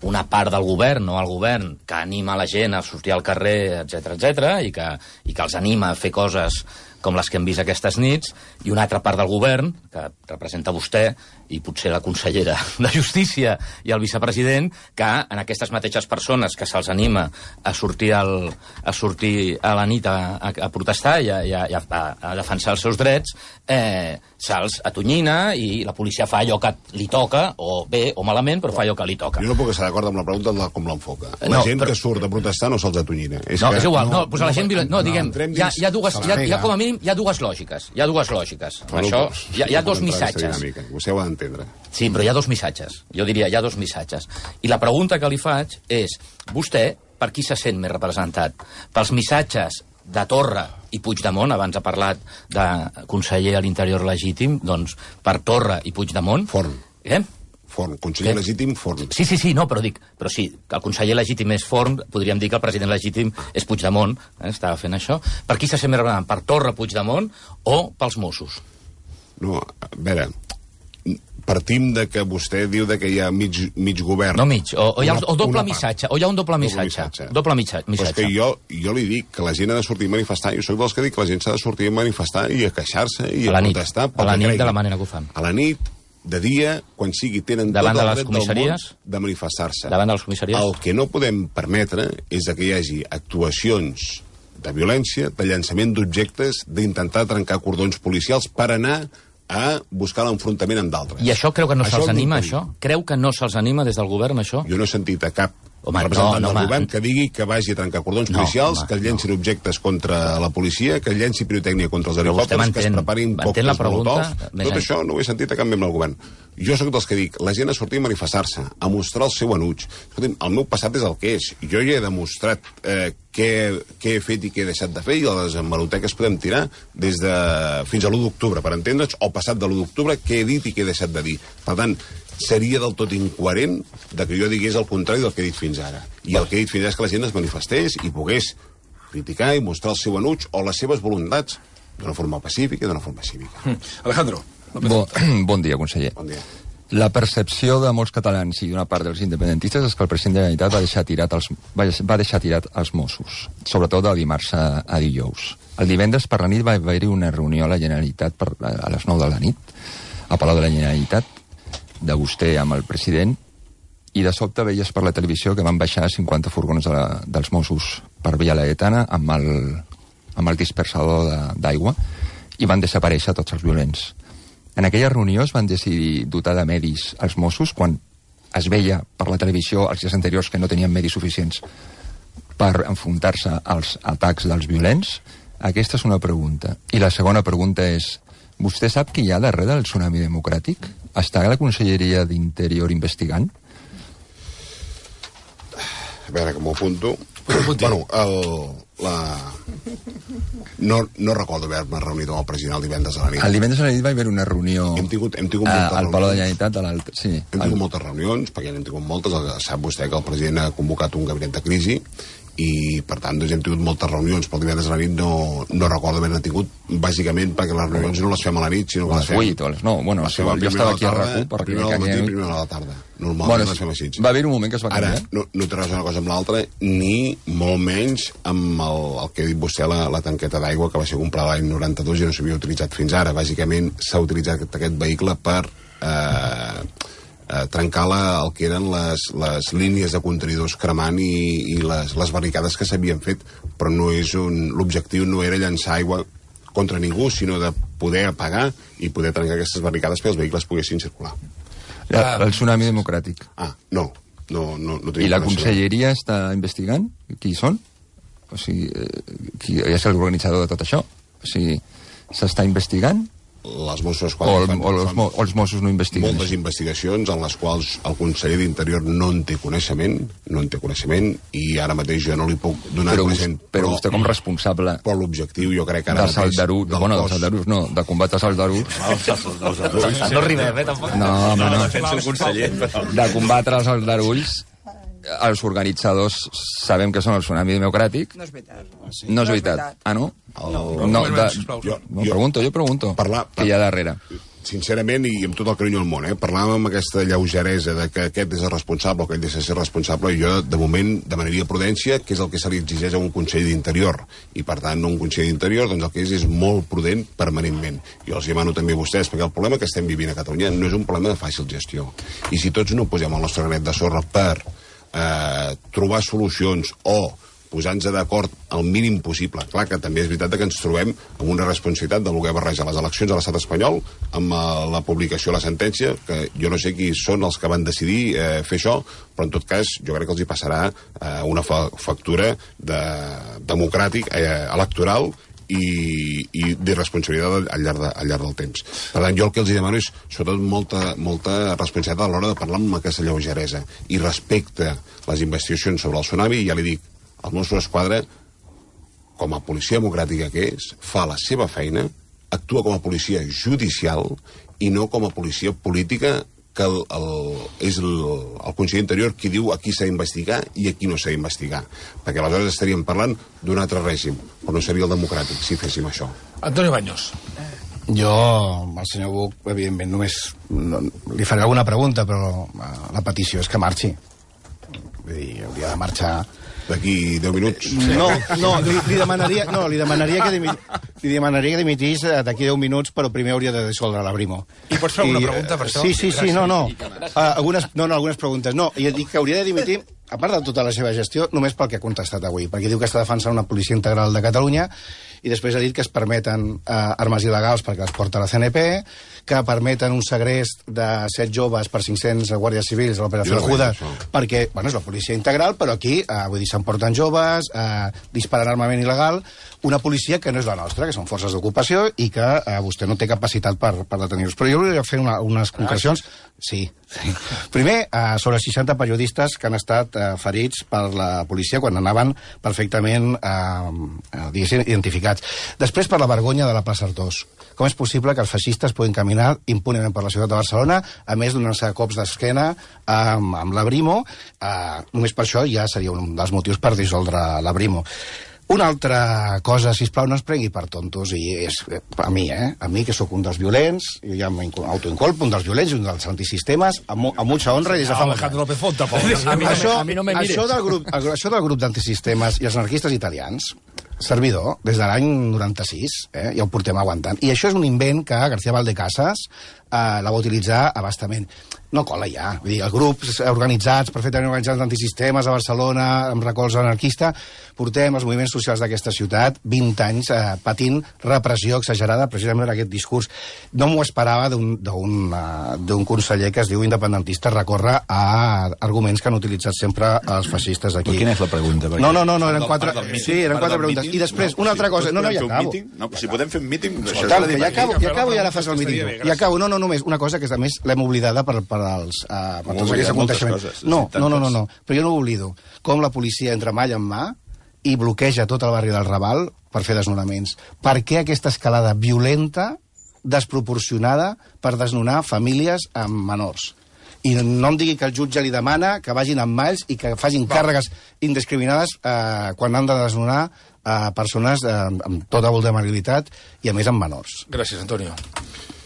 C: una part del govern, no el govern, que anima la gent a sortir al carrer, etcètera, etcètera, i que, i que els anima a fer coses com les que hem vist aquestes nits, i una altra part del govern, que representa vostè, i potser la consellera de Justícia i el vicepresident, que en aquestes mateixes persones que se'ls anima a sortir, al, a, sortir a la nit a, a, a protestar i a, a, a, a defensar els seus drets, eh, se'ls atonyina i la policia fa allò que li toca, o bé o malament, però fa allò que li toca.
B: Jo no puc estar d'acord amb la pregunta de com l'enfoca. La
C: No,
B: gent
C: però-
B: que surt a protestar no se'ls atonyina. És
C: No,
B: que...
C: és igual, no, doncs a la gent violenta... No, diguem,
B: entrem
C: hi ha,
B: dins
C: hi ha dues,
B: se
C: hi
B: la
C: ha, hi ha
B: nega.
C: com a mínim, hi ha dues lògiques. Hi ha dues lògiques.
B: Bueno,
C: Això,
B: doncs,
C: hi ha, hi ha
B: no
C: dos
B: puc entrar en aquesta
C: missatges.
B: dinàmica. Vostè ho ha d'entendre.
C: Sí, però hi ha dos missatges. Jo diria, hi ha dos missatges. I la pregunta que li faig és, vostè, per qui se sent més representat? Pels missatges de Torra i Puigdemont, abans ha parlat de conseller a l'interior legítim, doncs per Torra i Puigdemont...
B: Forn.
C: Eh?
B: Forn. Conseller
C: Què?
B: legítim, Forn.
C: Sí, sí, sí, no, però dic, però sí, que el conseller legítim és Forn, podríem dir que el president legítim és Puigdemont, eh, estava fent això. Per qui se sent més representat? Per Torra, Puigdemont o pels Mossos?
B: No, a veure, partim de que vostè diu de que hi ha mig, mig govern.
C: No mig, o, o hi ha
B: Una-
C: o doble
B: una part.
C: missatge, o hi ha un doble
B: Doble
C: missatge.
B: missatge.
C: Doble mitja-
B: Però és
C: missatge.
B: que jo, jo li dic que la gent ha de sortir a manifestar, jo sóc dels que dic que la gent s'ha de sortir a manifestar i a queixar-se i
C: A
B: a,
C: la nit.
B: protestar pel
C: A la
B: que
C: nit de
B: creguin.
C: la manera que ho fan.
B: A la nit, de dia, quan sigui, tenen
C: Davant
B: tot
C: de
B: el
C: les
B: dret del món
C: comissaries?
B: de manifestar-se.
C: Davant de les comissaries?
B: El que no podem permetre és que hi hagi actuacions de violència, de llançament d'objectes, d'intentar trencar cordons policials per anar a buscar l'enfrontament amb d'altres.
C: I això creu que no
B: Això
C: se'ls
B: és
C: anima,
B: l'impedit.
C: això? Creu que no se'ls anima des del govern, això?
B: Jo no he sentit a cap
C: Home,
B: representant
C: no, no,
B: del
C: home.
B: govern que digui que vagi a trencar cordons
C: No,
B: policials,
C: home,
B: que es llencin objectes contra la policia, que es llenci pirotècnia contra els
C: Però vostè
B: helicòpters, que es
C: m'entén-
B: preparin
C: m'entén la
B: còctels
C: pregunta?
B: molotovs.
C: Més
B: Tot
C: en-
B: això no ho he sentit a cap membre del govern. Jo sóc dels que dic, la gent ha sortit a manifestar-se, a mostrar el seu enuig. Escolti'm, el meu passat és el que és. Jo ja he demostrat eh, què, què he fet i què he deixat de fer, i a les hemeroteques podem tirar des de fins a l'u d'octubre, per entendre'ns, o passat de l'u d'octubre, què he dit i què he deixat de dir. Per tant, seria del tot incoherent de que jo digués el contrari del que he dit fins ara. I el que he dit fins ara és que la gent es manifestés i pogués criticar i mostrar el seu enuig o les seves voluntats d'una forma pacífica i d'una forma cívica.
A: Alejandro.
D: Bon, bon dia, conseller.
B: Bon dia.
D: La percepció de molts catalans i d'una part dels independentistes és que el president de la Generalitat va deixar tirat els, va, va deixar tirat els Mossos, sobretot de dimarts a, a dijous. El divendres per la nit va haver-hi una reunió a la Generalitat per, a les nou de la nit, a Palau de la Generalitat, de vostè amb el president, i de sobte veies per la televisió que van baixar cinquanta furgons de la, dels Mossos per Via Laietana amb el, amb el dispersador d'aigua i van desaparèixer tots els violents. En aquella reunió es van decidir dotar de medis als Mossos quan es veia per la televisió els dies anteriors que no tenien medis suficients per enfrontar-se als atacs dels violents. Aquesta és una pregunta. I la segona pregunta és, vostè sap qui hi ha darrere del tsunami democràtic? Està la Conselleria d'Interior investigant?
B: A veure, que m'ho apunto. Bueno, el, la... No, no recordo haver-me reunit amb el president el divendres a la nit.
D: El divendres a la nit va haver una reunió
B: Hem tingut, hem tingut
D: a-
B: moltes
D: al Palau de la
B: reunions.
D: Generalitat. A l'altre- sí,
B: Hem
D: al-
B: tingut moltes reunions, perquè n'hem tingut moltes. El- Sap vostè que el president ha convocat un gabinet de crisi i, per tant, doncs, hem tingut moltes reunions, però el divendres a la nit no, no recordo haver-ne tingut, bàsicament perquè les reunions no les fem a la nit, sinó que
D: a
B: les
D: les
B: fem...
D: vuit o a les nou. Bueno,
B: les
D: si
B: fem a
D: vol, jo
B: primera
D: estava aquí a
B: de la
D: RAC u
B: tarda,
D: perquè
B: primera del matí
D: aquella
B: i
D: nit-
B: primera de la tarda. Normalment
D: Bueno,
B: les fem així.
D: va haver un moment que es va
B: Ara,
D: canviar.
B: no, no té res una cosa amb l'altra, ni molt menys amb el, el que ha dit vostè, la, la tanqueta d'aigua, que va ser comprada l'any noranta-dos i no s'havia utilitzat fins ara. Bàsicament s'ha utilitzat aquest vehicle per eh, eh, trencar la, el que eren les, les línies de contenidors cremant i, i les, les barricades que s'havien fet, però no és un... L'objectiu no era llançar aigua contra ningú, sinó de poder apagar i poder trencar aquestes barricades perquè els vehicles poguessin circular.
D: La, el tsunami democràtic.
B: Ah, no. No, no, no tenim
D: I la
B: coneixement.
D: Conselleria està investigant qui són? O sigui, eh, qui és l'organitzador de tot això? O sigui, s'està investigant?
B: Les Mossos
D: O, el,
B: fan-
D: o, els,
B: fan
D: mo- o els Mossos no investiguen?
B: moltes
D: això?
B: investigacions en les quals el conseller d'Interior no en té coneixement, no en té coneixement, i ara mateix jo no li puc donar
D: Però,
B: coneixement.
D: vos- però vostè com responsable
B: Però l'objectiu jo crec que ara
D: dels
B: mateix...
D: aldarulls,
B: del
D: bueno,
B: cos-
D: dels aldarulls no, de combatre els aldarulls,
C: No rimem, eh, tampoc.
D: no, home, no,
C: defenso el conseller, però...
D: de combatre els aldarulls, els organitzadors sabem que són el tsunami democràtic.
E: No és veritat.
D: No és veritat. Ah, no?
B: El-
D: No, de,
A: sisplau.
D: jo, no, pregunto, jo pregunto.
B: Parlar-
D: Què hi ha darrere?
B: sincerament, i amb tot el carinyo del món, eh, parlàvem amb aquesta lleugeresa de que aquest és el responsable o que ell deixa de ser responsable, i jo, de moment, demanaria prudència, que és el que se li exigeix a un Consell d'Interior. I, per tant, un Consell d'Interior, doncs el que és és molt prudent permanentment. Jo els demano també a vostès, perquè el problema que estem vivint a Catalunya no és un problema de fàcil gestió. I si tots no posem el nostre granet de sorra per eh, trobar solucions o posant-nos d'acord al mínim possible. Clar que també és veritat que ens trobem amb una responsabilitat de voler barrejar les eleccions a l'estat espanyol amb la publicació de la sentència, que jo no sé qui són els que van decidir eh, fer això, però en tot cas jo crec que els hi passarà eh, una fa factura de, democràtic, eh, electoral i, i de responsabilitat al llarg, de, al llarg del temps. Per tant, jo el que els demano és sobretot molta, molta responsabilitat a l'hora de parlar amb aquesta lleugeresa i respecte les investigacions sobre el tsunami. I ja li dic, el Mossos d'Esquadra, com a policia democràtica que és, fa la seva feina, actua com a policia judicial i no com a policia política, que el, el, és el, el conseller Interior qui diu a qui s'ha d'investigar i a qui no s'ha d'investigar. Perquè aleshores estaríem parlant d'un altre règim, però no seria el democràtic si féssim això.
A: Antonio Baños.
E: Jo, al senyor Buch, evidentment, només no, li faré alguna pregunta, però la petició és que marxi. Vull dir, hauria de marxar...
B: D'aquí deu minuts?
E: No, no, li, li demanaria, no, li demanaria que, dimi, li demanaria que dimitís d'aquí deu minuts, però primer hauria de dissoldre la Brimo.
A: I pots fer alguna pregunta per això?
E: Sí, sí, sí, no, no. Uh, algunes, no, no, algunes preguntes. No, i dic que hauria de dimitir, a part de tota la seva gestió, només pel que ha contestat avui, perquè diu que està defensant una policia integral de Catalunya i després ha dit que es permeten uh, armes il·legals perquè les porta la C N P, que permeten un segrest de set joves per cinc-cents guàrdies civils a l'operació Judas, perquè, bueno, és la policia integral, però aquí, eh, vull dir, s'emporten joves, eh, disparen armament il·legal, una policia que no és la nostra, que són forces d'ocupació i que eh, vostè no té capacitat per, per detenir-los. Però jo volia fer una, unes concrecions. Sí, sí. Primer, eh, sobre seixanta periodistes que han estat eh, ferits per la policia quan anaven perfectament eh, eh, identificats. Després, per la vergonya de la plaça Artós. Com és possible que els feixistes puguin caminar impunement per la ciutat de Barcelona, a més donar-se cops d'esquena amb, amb la Brimo? Eh, només per això ja seria un dels motius per dissoldre la Brimo. Una altra cosa, sisplau, no es prengui per tontos, i és a mi, eh? A mi, que sóc un dels violents, jo ja m'autoincolpo, un dels violents, un dels antisistemes, amb, amb mucha honra i des de fa molt
A: Alejandro López Fonta,
E: a mi, això, a mi no me mires. Això del grup, això del grup d'antisistemes i els anarquistes italians, servidor, des de l'any noranta-sis, eh, ja ho portem aguantant. I això és un invent que García Valdecasas eh, la va utilitzar abastament. No cola ja. Vull dir, els grups organitzats, perfectament organitzats d'antisistemes a Barcelona, amb recolz anarquista, portem els moviments socials d'aquesta ciutat vint anys eh, patint repressió exagerada, precisament per aquest discurs. No m'ho esperava d'un uh, conseller que es diu independentista recórrer a arguments que han utilitzat sempre els feixistes aquí.
F: Però quina és la pregunta?
E: No, no, no, no eren quatre, sí, eren quatre preguntes. I després, una altra cosa... No, no, ja acabo.
F: No, si podem fer un míting...
E: Ja acabo, ja acabo i ara fas el míting. I acabo, no, no, només una cosa que a més l'hem oblidada per, per als... Uh, per tots aquests aconteixements. No, no, no, no, no, però jo no ho oblido. Com la policia entra mà en mà i bloqueja tot el barri del Raval per fer desnonaments. Per què aquesta escalada violenta, desproporcionada, per desnonar famílies amb menors? I no em digui que el jutge li demana que vagin amb malls i que facin càrregues indiscriminades eh, quan han de desnonar eh, persones eh, amb tota vulnerabilitat i, a més, amb menors.
A: Gràcies, Antonio.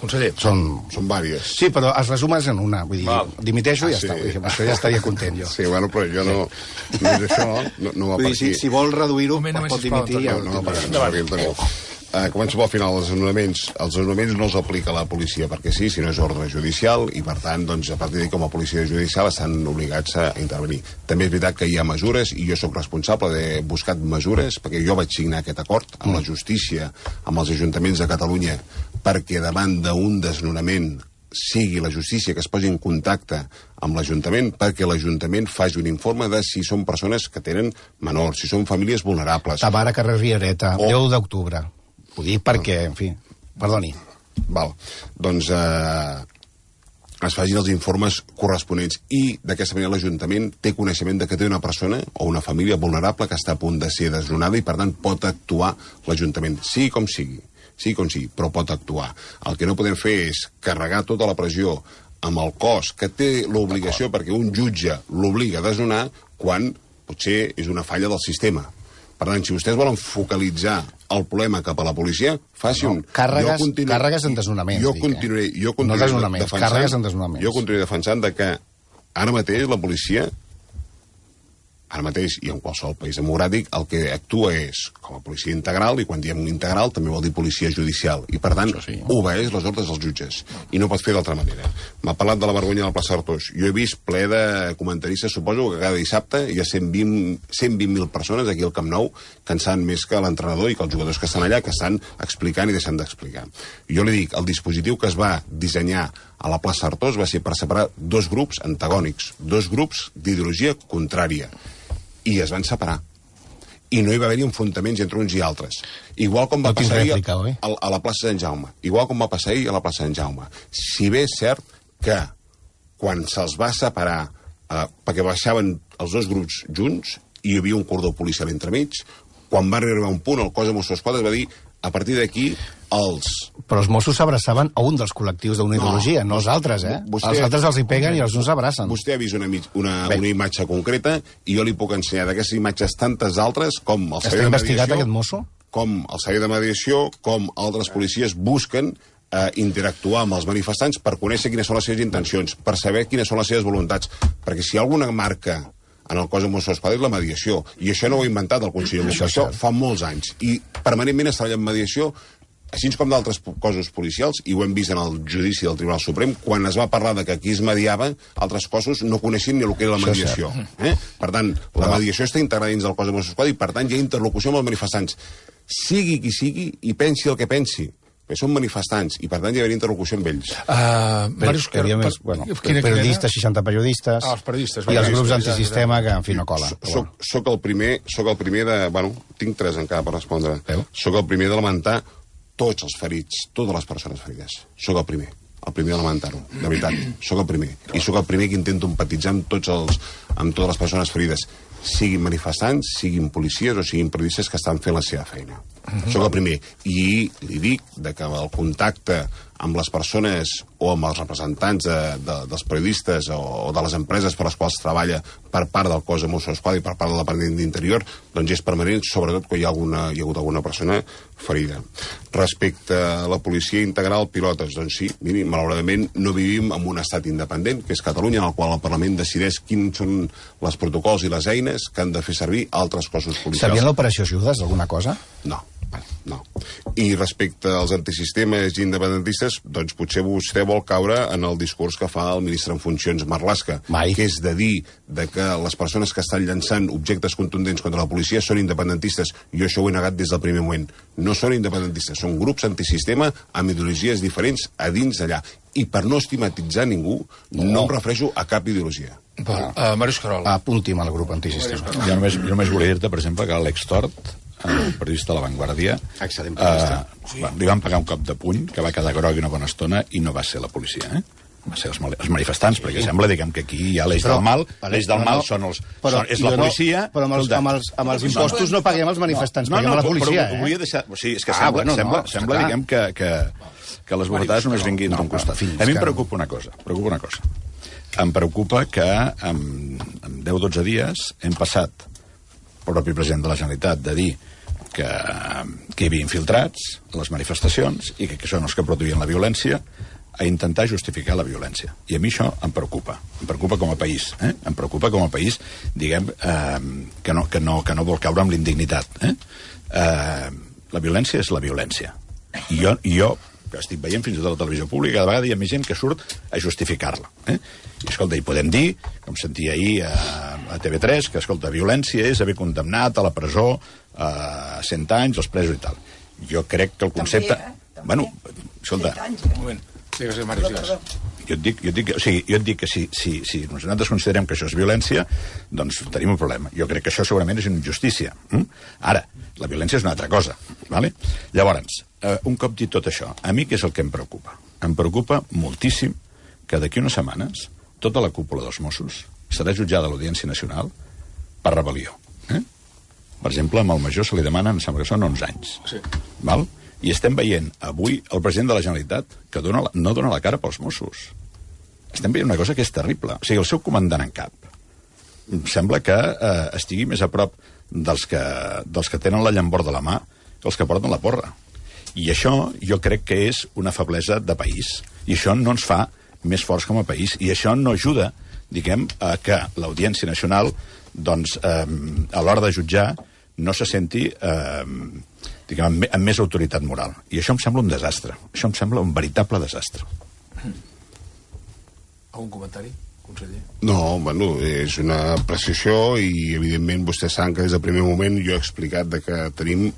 A: Conseller.
B: Són, són vàries.
E: Sí, però es resumes en una. Vull dir,
A: Val.
E: dimiteixo i ja
B: Ah, sí.
E: està. Vull dir, això ja estaria content, jo.
B: Sí, bueno, però jo no... Només això no, no va
E: Vull
B: per
E: dir, si,
B: aquí.
E: si vol reduir-ho,
A: Un moment,
E: pot
A: només, sisplau,
E: dimitir. Ja
B: No,
E: ho
B: no,
E: tinc.
B: no, no, no, Uh, començo pel final, els desnonaments. Els desnonaments no els aplica la policia perquè sí, sinó és ordre judicial i, per tant, doncs, a partir d'ahir, com a policia judicial, estan obligats a intervenir. També és veritat que hi ha mesures i jo sóc responsable de buscar mesures perquè jo vaig signar aquest acord amb la justícia, amb els ajuntaments de Catalunya, perquè davant d'un desnonament sigui la justícia que es posi en contacte amb l'Ajuntament perquè l'Ajuntament faci un informe de si són persones que tenen menors, si són famílies vulnerables.
E: Tamara Carrer Riereta,
B: O-
E: deu d'octubre. Ho dic perquè, en fi, perdoni.
B: Val. Doncs eh, es facin els informes corresponents i d'aquesta manera l'Ajuntament té coneixement de que té una persona o una família vulnerable que està a punt de ser desnonada i per tant pot actuar l'Ajuntament, sigui com sigui, sigui com sigui, però pot actuar. El que no podem fer és carregar tota la pressió amb el cos que té l'obligació perquè un jutge l'obliga a desnonar quan potser és una falla del sistema. Per tant, si vostès volen focalitzar el problema cap a la policia, faci no, un...
E: Càrregues, continu... càrregues en desnonaments,
B: jo
E: dic,
B: continuaré,
E: eh?
B: jo continuaré
E: no desnonaments,
B: defensant,
E: càrregues en desnonaments.
B: Jo continuaré defensant de que ara mateix la policia, ara mateix i en qualsevol país democràtic, el que actua és com a policia integral, i quan diem integral també vol dir policia judicial, i per tant sí. obeeix les ordres dels jutges, i no pot fer d'altra manera. M'ha parlat de la vergonya del Pla Sartós. Jo he vist ple de comentaristes, suposo que cada dissabte hi ha cent vint mil persones aquí al Camp Nou que en saben més que l'entrenador i que els jugadors que estan allà, que estan explicant i deixant d'explicar. Jo li dic, el dispositiu que es va dissenyar a la Plaça Artós va ser per separar dos grups antagònics, dos grups d'ideologia contrària, i es van separar. I no hi va haver-hi enfrontaments entre uns i altres. Igual com va
E: no
B: passar ahir
E: a,
B: a, a la plaça Sant Jaume. Igual com va passar ahir a la plaça Sant Jaume. Si bé és cert que quan se'ls va separar, eh, perquè baixaven els dos grups junts, i hi havia un cordó policial entremig, quan va arribar un punt, el cos de Mossos d'Esquadra va dir a partir d'aquí els...
E: Però els Mossos s'abraçaven a un dels col·lectius d'una ideologia, no, no els altres, eh? Vostè, els altres els hi peguen i els uns s'abracen.
B: Vostè ha vist una, una, una imatge concreta i jo li puc ensenyar d'aquestes imatges tantes altres com el servei de mediació...
E: Està investigat aquest mosso?
B: Com el servei de mediació, com altres policies busquen eh, interactuar amb els manifestants per conèixer quines són les seves intencions, per saber quines són les seves voluntats. Perquè si hi ha alguna marca en el cos de Mossos d'Esquadra és la mediació. I això no ho ha inventat el conseller Buch, això fa molts anys. I permanentment es treballa en mediació, així com d'altres cossos policials, i ho hem vist en el judici del Tribunal Suprem, quan es va parlar de que aquí es mediava, altres cossos no coneixien ni el que era la mediació. Eh? Per tant, la mediació està integrada dins del cos de Mossos d'Esquadra i, per tant, hi ha interlocució amb els manifestants. Sigui qui sigui i pensi el que pensi. Perquè són manifestants i, per tant, hi ha interlocució amb ells.
E: Uh, Màrius, que havia més... Bueno, periodistes, seixanta periodistes...
A: Ah, els periodistes.
E: I els grups antisistema que, en fi, no colen.
B: Soc, soc, el primer, soc el primer de... Bueno, tinc tres encara per respondre. Veu? Soc el primer de lamentar tots els ferits, totes les persones ferides. Soc el primer. El primer de lamentar-ho, de veritat. Soc el primer. I soc el primer que intento empatitzar amb, tots els, amb totes les persones ferides. Siguin manifestants, siguin policies o siguin periodistes que estan fent la seva feina. Uh-huh. Soc el primer. I li dic de que el contacte amb les persones o amb els representants de, de, dels periodistes o, o de les empreses per les quals treballa per part del cos de Mossos d'Esquadra i per part del Departament d'Interior, doncs és permanent, sobretot quan hi ha, alguna, hi ha hagut alguna persona ferida. Respecte a la policia integral, pilotes, doncs sí, miri, malauradament no vivim en un estat independent, que és Catalunya, en el qual el Parlament decideix quins són les protocols i les eines que han de fer servir altres cossos policials.
E: Sabien l'operació Judes, alguna cosa?
B: No. No. I respecte als antisistemes i independentistes, doncs potser vostè vol caure en el discurs que fa el ministre en funcions Marlaska,
E: Mai.
B: que és de dir de que les persones que estan llançant objectes contundents contra la policia són independentistes. Jo això ho he negat des del primer moment. No són independentistes, són grups antisistema amb ideologies diferents a dins d'allà. I per no estigmatitzar ningú, no, no em refereixo a cap ideologia.
A: Val. Uh, Màrius Carol.
E: Apunti'm al grup antisistema.
F: Jo només, jo només volia dir-te, per exemple, que Àlex Tort, el periodista de La Vanguardia,
E: excel·lent periodista.
F: Uh, sí. Li van pagar un cop de puny, que va quedar groc una bona estona, i no va ser la policia, eh? Va ser els, els manifestants, sí. Perquè sembla, diguem, que aquí hi ha l'eix del mal, l'eix del mal són els,
E: però,
F: són, és la policia...
E: No, però amb els, amb els, amb els impostos no paguem els manifestants,
F: no, no,
E: paguem
F: no,
E: la policia,
F: però,
E: eh?
F: Volia deixar, o sigui, és que
E: ah,
F: sembla,
E: bueno,
F: sembla,
E: no,
F: sembla
E: clar.
F: diguem, que, que, que les bufetades només vinguin d'un costat.
E: Fins
F: A mi em
E: que...
F: preocupa una cosa, preocupa una cosa. Em preocupa que en, en deu o dotze dies hem passat, el propi president de la Generalitat, de dir que, que hi havia infiltrats a les manifestacions i que, que són els que produïen la violència, a intentar justificar la violència. I a mi això em preocupa. Em preocupa com a país. Eh? Em preocupa com a país, diguem, eh, que, no, que, no, que no vol caure amb l'indignitat. Eh? Eh, la violència és la violència. I jo, i jo que estic veient fins i tot a la televisió pública, cada vegada hi ha més gent que surt a justificar-la. Eh? I, escolta, hi podem dir, com sentia ahir a, a T V tres, que, escolta, violència és haver condemnat a la presó a cent anys, els presos i tal. Jo crec que el concepte...
G: També, eh? També.
F: Bueno, escolta...
A: Un moment. Digues, Màrius, digues.
F: Jo et dic, jo et dic, o sigui, jo et dic que si, si, si nosaltres considerem que això és violència, doncs tenim un problema. Jo crec que això segurament és una injustícia. Mm? Ara, la violència és una altra cosa. Vale? Llavors, eh, un cop dit tot això, a mi què és el que em preocupa? Em preocupa moltíssim que d'aquí unes setmanes tota la cúpula dels Mossos serà jutjada a l'Audiència Nacional per rebel·lió. Eh? Per exemple, amb el major se li demanen, em sembla que són onze anys. Sí. Val? I estem veient avui el president de la Generalitat que dona la, no dona la cara pels Mossos. Estem veient una cosa que és terrible. O sigui, el seu comandant en cap sembla que eh, estigui més a prop dels que, dels que tenen la llambor de la mà els que porten la porra. I això jo crec que és una feblesa de país. I això no ens fa més forts com a país. I això no ajuda, diguem, a que l'Audiència Nacional, doncs, eh, a l'hora de jutjar, no se senti, eh, diguem, amb, amb més autoritat moral. I això em sembla un desastre. Això em sembla un veritable desastre.
A: Algun comentari, conseller?
B: No, bueno, és una apreciació i, evidentment, vostès saben que des del primer moment jo he explicat de que tenim,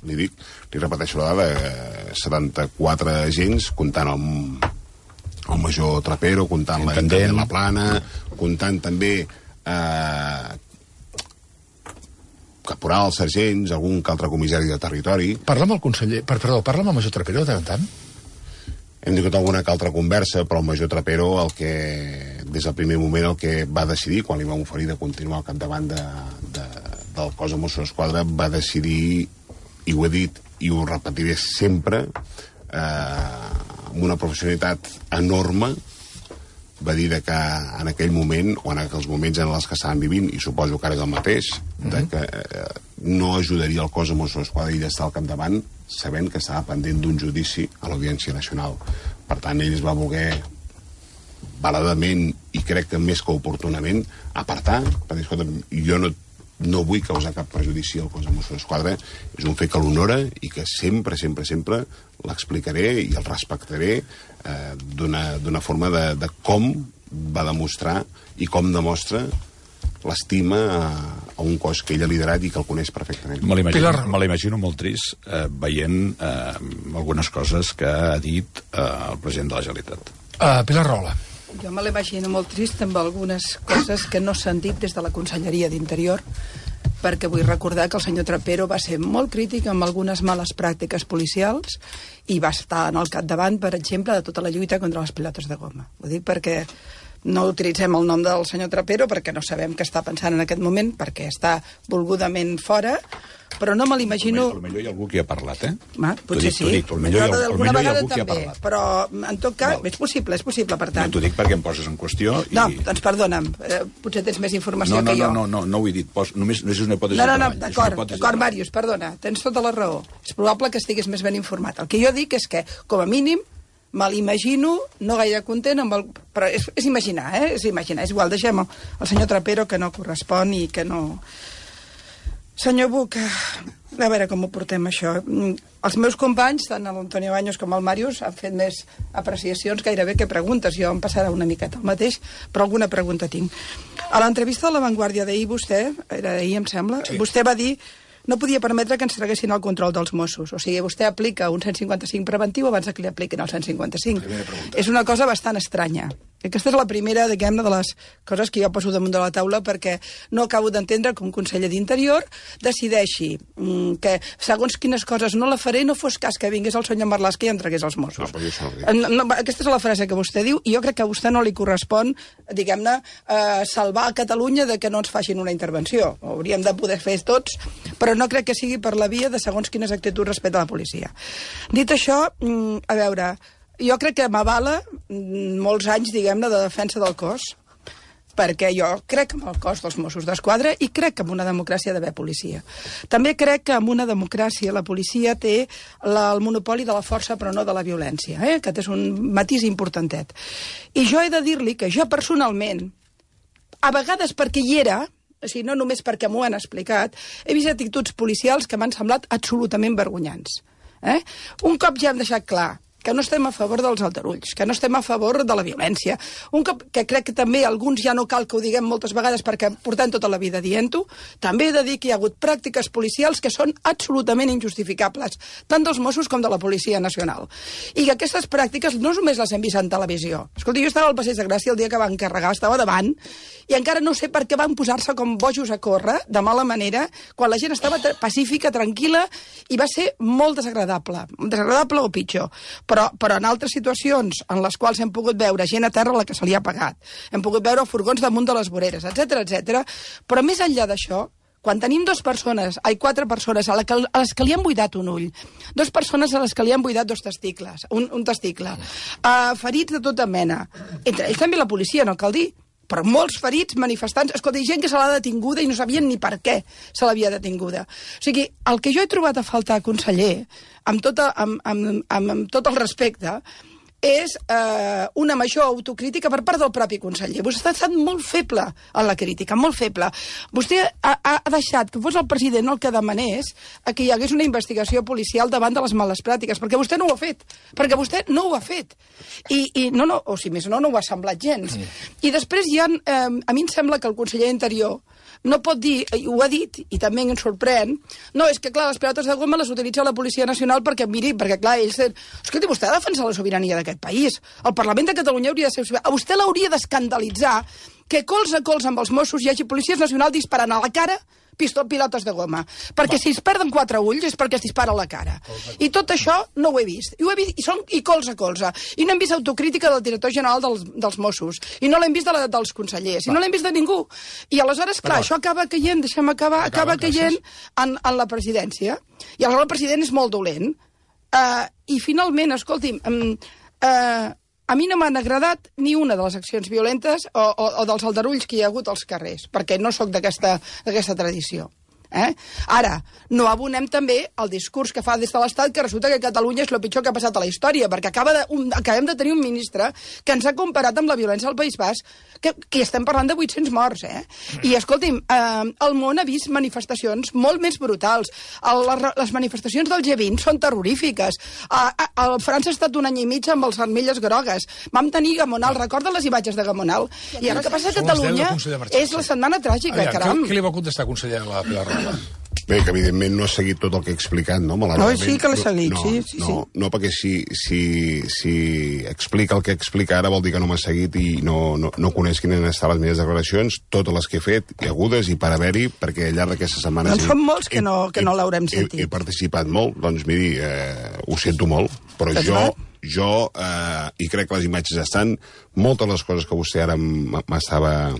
B: li dic, li repeteixo la dada, setanta-quatre agents, comptant el, el major Trapero, comptant la intendent La Plana, comptant també eh, caporals, sergents, algun que altre comissari de territori.
A: Parla amb el conseller, per, perdó, parla amb el major Trapero de tant en tant?
B: Hem tingut alguna que altra conversa, però el major Trapero, el que, des del primer moment, el que va decidir, quan li vam oferir de continuar al capdavant de, de, del cos de Mossos d'Esquadra, va decidir, i ho he dit, i ho repetiré sempre, eh, amb una professionalitat enorme, va dir que en aquell moment, o en aquells moments en els que estaven vivint, i suposo que ara és el mateix, de que eh, no ajudaria el cos de Mossos d'Esquadra i d'estar al capdavant, sabent que estava pendent d'un judici a l'Audiència Nacional. Per tant, ell es va voler valedament, i crec que més que oportunament, apartar, perquè, escolta, jo no, no vull causar cap perjudici al cos de Mossos d'Esquadra, és un fet que l'honora i que sempre, sempre, sempre l'explicaré i el respectaré eh, d'una forma de, de com va demostrar i com demostra l'estima a, a un cos que ell ha liderat i que el coneix perfectament.
F: Me l'imagino, me l'imagino molt trist eh, veient eh, algunes coses que ha dit eh, el president de la Generalitat.
A: Uh, Pilar Rola.
G: Jo me l'imagino molt trist amb algunes coses que no s'han dit des de la Conselleria d'Interior, perquè vull recordar que el senyor Trapero va ser molt crític amb algunes males pràctiques policials i va estar en el capdavant, per exemple, de tota la lluita contra les pilotes de goma. Ho dic perquè no utilitzem el nom del senyor Trapero perquè no sabem què està pensant en aquest moment, perquè està volgudament fora, però no me l'imagino...
F: Potser hi ha algú que hi ha parlat, eh?
G: Ma, potser sí.
F: Dic,
G: Alguna vegada també, però en tot cas,
F: Val.
G: és possible, és possible, per tant.
F: No, t'ho dic perquè em poses en qüestió i...
G: No, doncs perdona'm, eh, potser tens més informació
F: no, no,
G: que jo.
F: No, no, no, no ho he dit, Pos, només, només és una hipòtesi
G: no, no, no,
F: de treball.
G: d'acord, d'acord, Màrius, perdona, tens tota la raó. És probable que estiguis més ben informat. El que jo dic és que, com a mínim, me l'imagino, no gaire content, amb el... però és, és imaginar, eh? És imaginar. És igual, deixem el, el senyor Trapero, que no correspon i que no... Senyor Buch, a veure com ho portem, això. Els meus companys, tant l'Antonio Baños com el Màrius, han fet més apreciacions gairebé que preguntes. Jo em passarà una miqueta el mateix, però alguna pregunta tinc. A l'entrevista de La Vanguardia d'ahir, vostè, era ahir, em sembla, sí. Vostè va dir no podia permetre que ens traguessin el control dels Mossos. O sigui, vostè aplica un cent cinquanta-cinc preventiu abans que li apliquin el cent cinquanta-cinc. És una cosa bastant estranya. Aquesta és la primera, diguem-ne, de les coses que jo poso damunt de la taula, perquè no acabo d'entendre que un conseller d'Interior decideixi mm, que segons quines coses no la faré, no fos cas que vingués el senyor Marlaska i em tragués els Mossos.
B: No,
G: no, no, aquesta és la frase que vostè diu, i jo crec que a vostè no li correspon, diguem-ne, eh, salvar a Catalunya de que no ens facin una intervenció. Ho hauríem de poder fer tots, però no crec que sigui per la via de segons quines actituds respecte a la policia. Dit això, mm, a veure... Jo crec que m'avala molts anys, diguem-ne, de defensa del cos, perquè jo crec en el cos dels Mossos d'Esquadra i crec que en una democràcia ha d'haver policia. També crec que en una democràcia la policia té la, el monopoli de la força però no de la violència. Eh? Aquest és un matís importantet. I jo he de dir-li que jo personalment, a vegades perquè hi era, o sigui, no només perquè m'ho han explicat, he vist actituds policials que m'han semblat absolutament vergonyants. Eh? Un cop ja hem deixat clar que no estem a favor dels aldarulls, que no estem a favor de la violència. Un cop que crec que també alguns ja no cal que ho diguem moltes vegades perquè portem tota la vida dient-ho, també he de dir que hi ha hagut pràctiques policials que són absolutament injustificables, tant dels Mossos com de la Policia Nacional. I que aquestes pràctiques no només les hem vist en televisió. Escolta, jo estava al Passeig de Gràcia el dia que van carregar, estava davant, i encara no sé per què van posar-se com bojos a córrer, de mala manera, quan la gent estava pacífica, tranquil·la, i va ser molt desagradable. Desagradable o pitjor. Però, però en altres situacions en les quals hem pogut veure gent a terra a la que se li ha pagat, hem pogut veure furgons damunt de les voreres, etcètera, etcètera. Però més enllà d'això, quan tenim dues persones, ai, quatre persones a, la que, a les que li han buidat un ull, dues persones a les que li han buidat dos testicles, un, un testicle, uh, ferits de tota mena, entre ells també la policia, no cal dir, però molts ferits, manifestants, escolta, hi ha gent que se l'ha detinguda i no sabien ni per què se l'havia detinguda. O sigui, el que jo he trobat a faltar, conseller, amb, tota, amb, amb, amb, amb tot el respecte, és eh, una major autocrítica per part del propi conseller. Vostè ha estat molt feble en la crítica, molt feble. Vostè ha, ha deixat que fos el president el que demanés que hi hagués una investigació policial davant de les males pràctiques, perquè vostè no ho ha fet, perquè vostè no ho ha fet. I, i no, no, o si més no, no ho ha semblat gens. Mm. I després hi ha, eh, a mi em sembla que el conseller d'Interior no pot dir, i ho ha dit, i també em sorprèn, no, és que, clar, les pilotes de goma les utilitza la Policia Nacional perquè, miri, perquè, clar, ells... Escolti, vostè ha de defensar la sobirania d'aquest país. El Parlament de Catalunya hauria de ser... A vostè l'hauria d'escandalitzar que colze a colze amb els Mossos hi hagi policies nacionals disparant a la cara pistol, pilotes de goma. Perquè Va. si es perden quatre ulls és perquè es dispara a la cara. I tot això no ho he vist. I ho he vist, i són i colze a colze. I no hem vist autocrítica del director general dels, dels Mossos. I no l'hem vist de la, dels consellers. Va. I no l'hem vist de ningú. I aleshores, clar, això acaba caient, deixem acabar, acaba, acaba caient en, en la presidència. I aleshores el president és molt dolent. Uh, I finalment, escolti'm, um, uh, a mi no m'han agradat ni una de les accions violentes o, o, o dels aldarulls que hi ha hagut als carrers, perquè no sóc d'aquesta tradició. Eh? Ara, no abonem també el discurs que fa des de l'Estat que resulta que Catalunya és el pitjor que ha passat a la història, perquè acaba de, un, acabem de tenir un ministre que ens ha comparat amb la violència al País Basc, que, que estem parlant de vuit-cents morts, eh? I, escolti'm, eh, el món ha vist manifestacions molt més brutals. El, les, les manifestacions del G vint són terrorífiques. A, a, a França ha estat un any i mig amb els armilles grogues. Vam tenir Gamonal, recorda les imatges de Gamonal? I ara el que passa a Catalunya és la setmana tràgica,
A: Aviam,
G: caram.
A: Què, què li va contestar, conseller, a la Pilar Roja?
B: Bé, que evidentment no ha seguit tot el que he explicat, no?
G: No, sí que l'he seguit,
B: no,
G: sí, sí,
B: no,
G: sí.
B: No, perquè si, si, si explica el que explica ara vol dir que no m'ha seguit i no, no, no coneix quines han estat les meves declaracions, totes les que he fet, i agudes i per haver-hi, perquè al llarg d'aquesta setmana...
G: Doncs són molts que no, que no l'haurem sentit.
B: He, he participat molt, doncs miri, eh, ho sento molt, però jo... jo, eh, i crec que les imatges estan, moltes de les coses que vostè ara m'estava...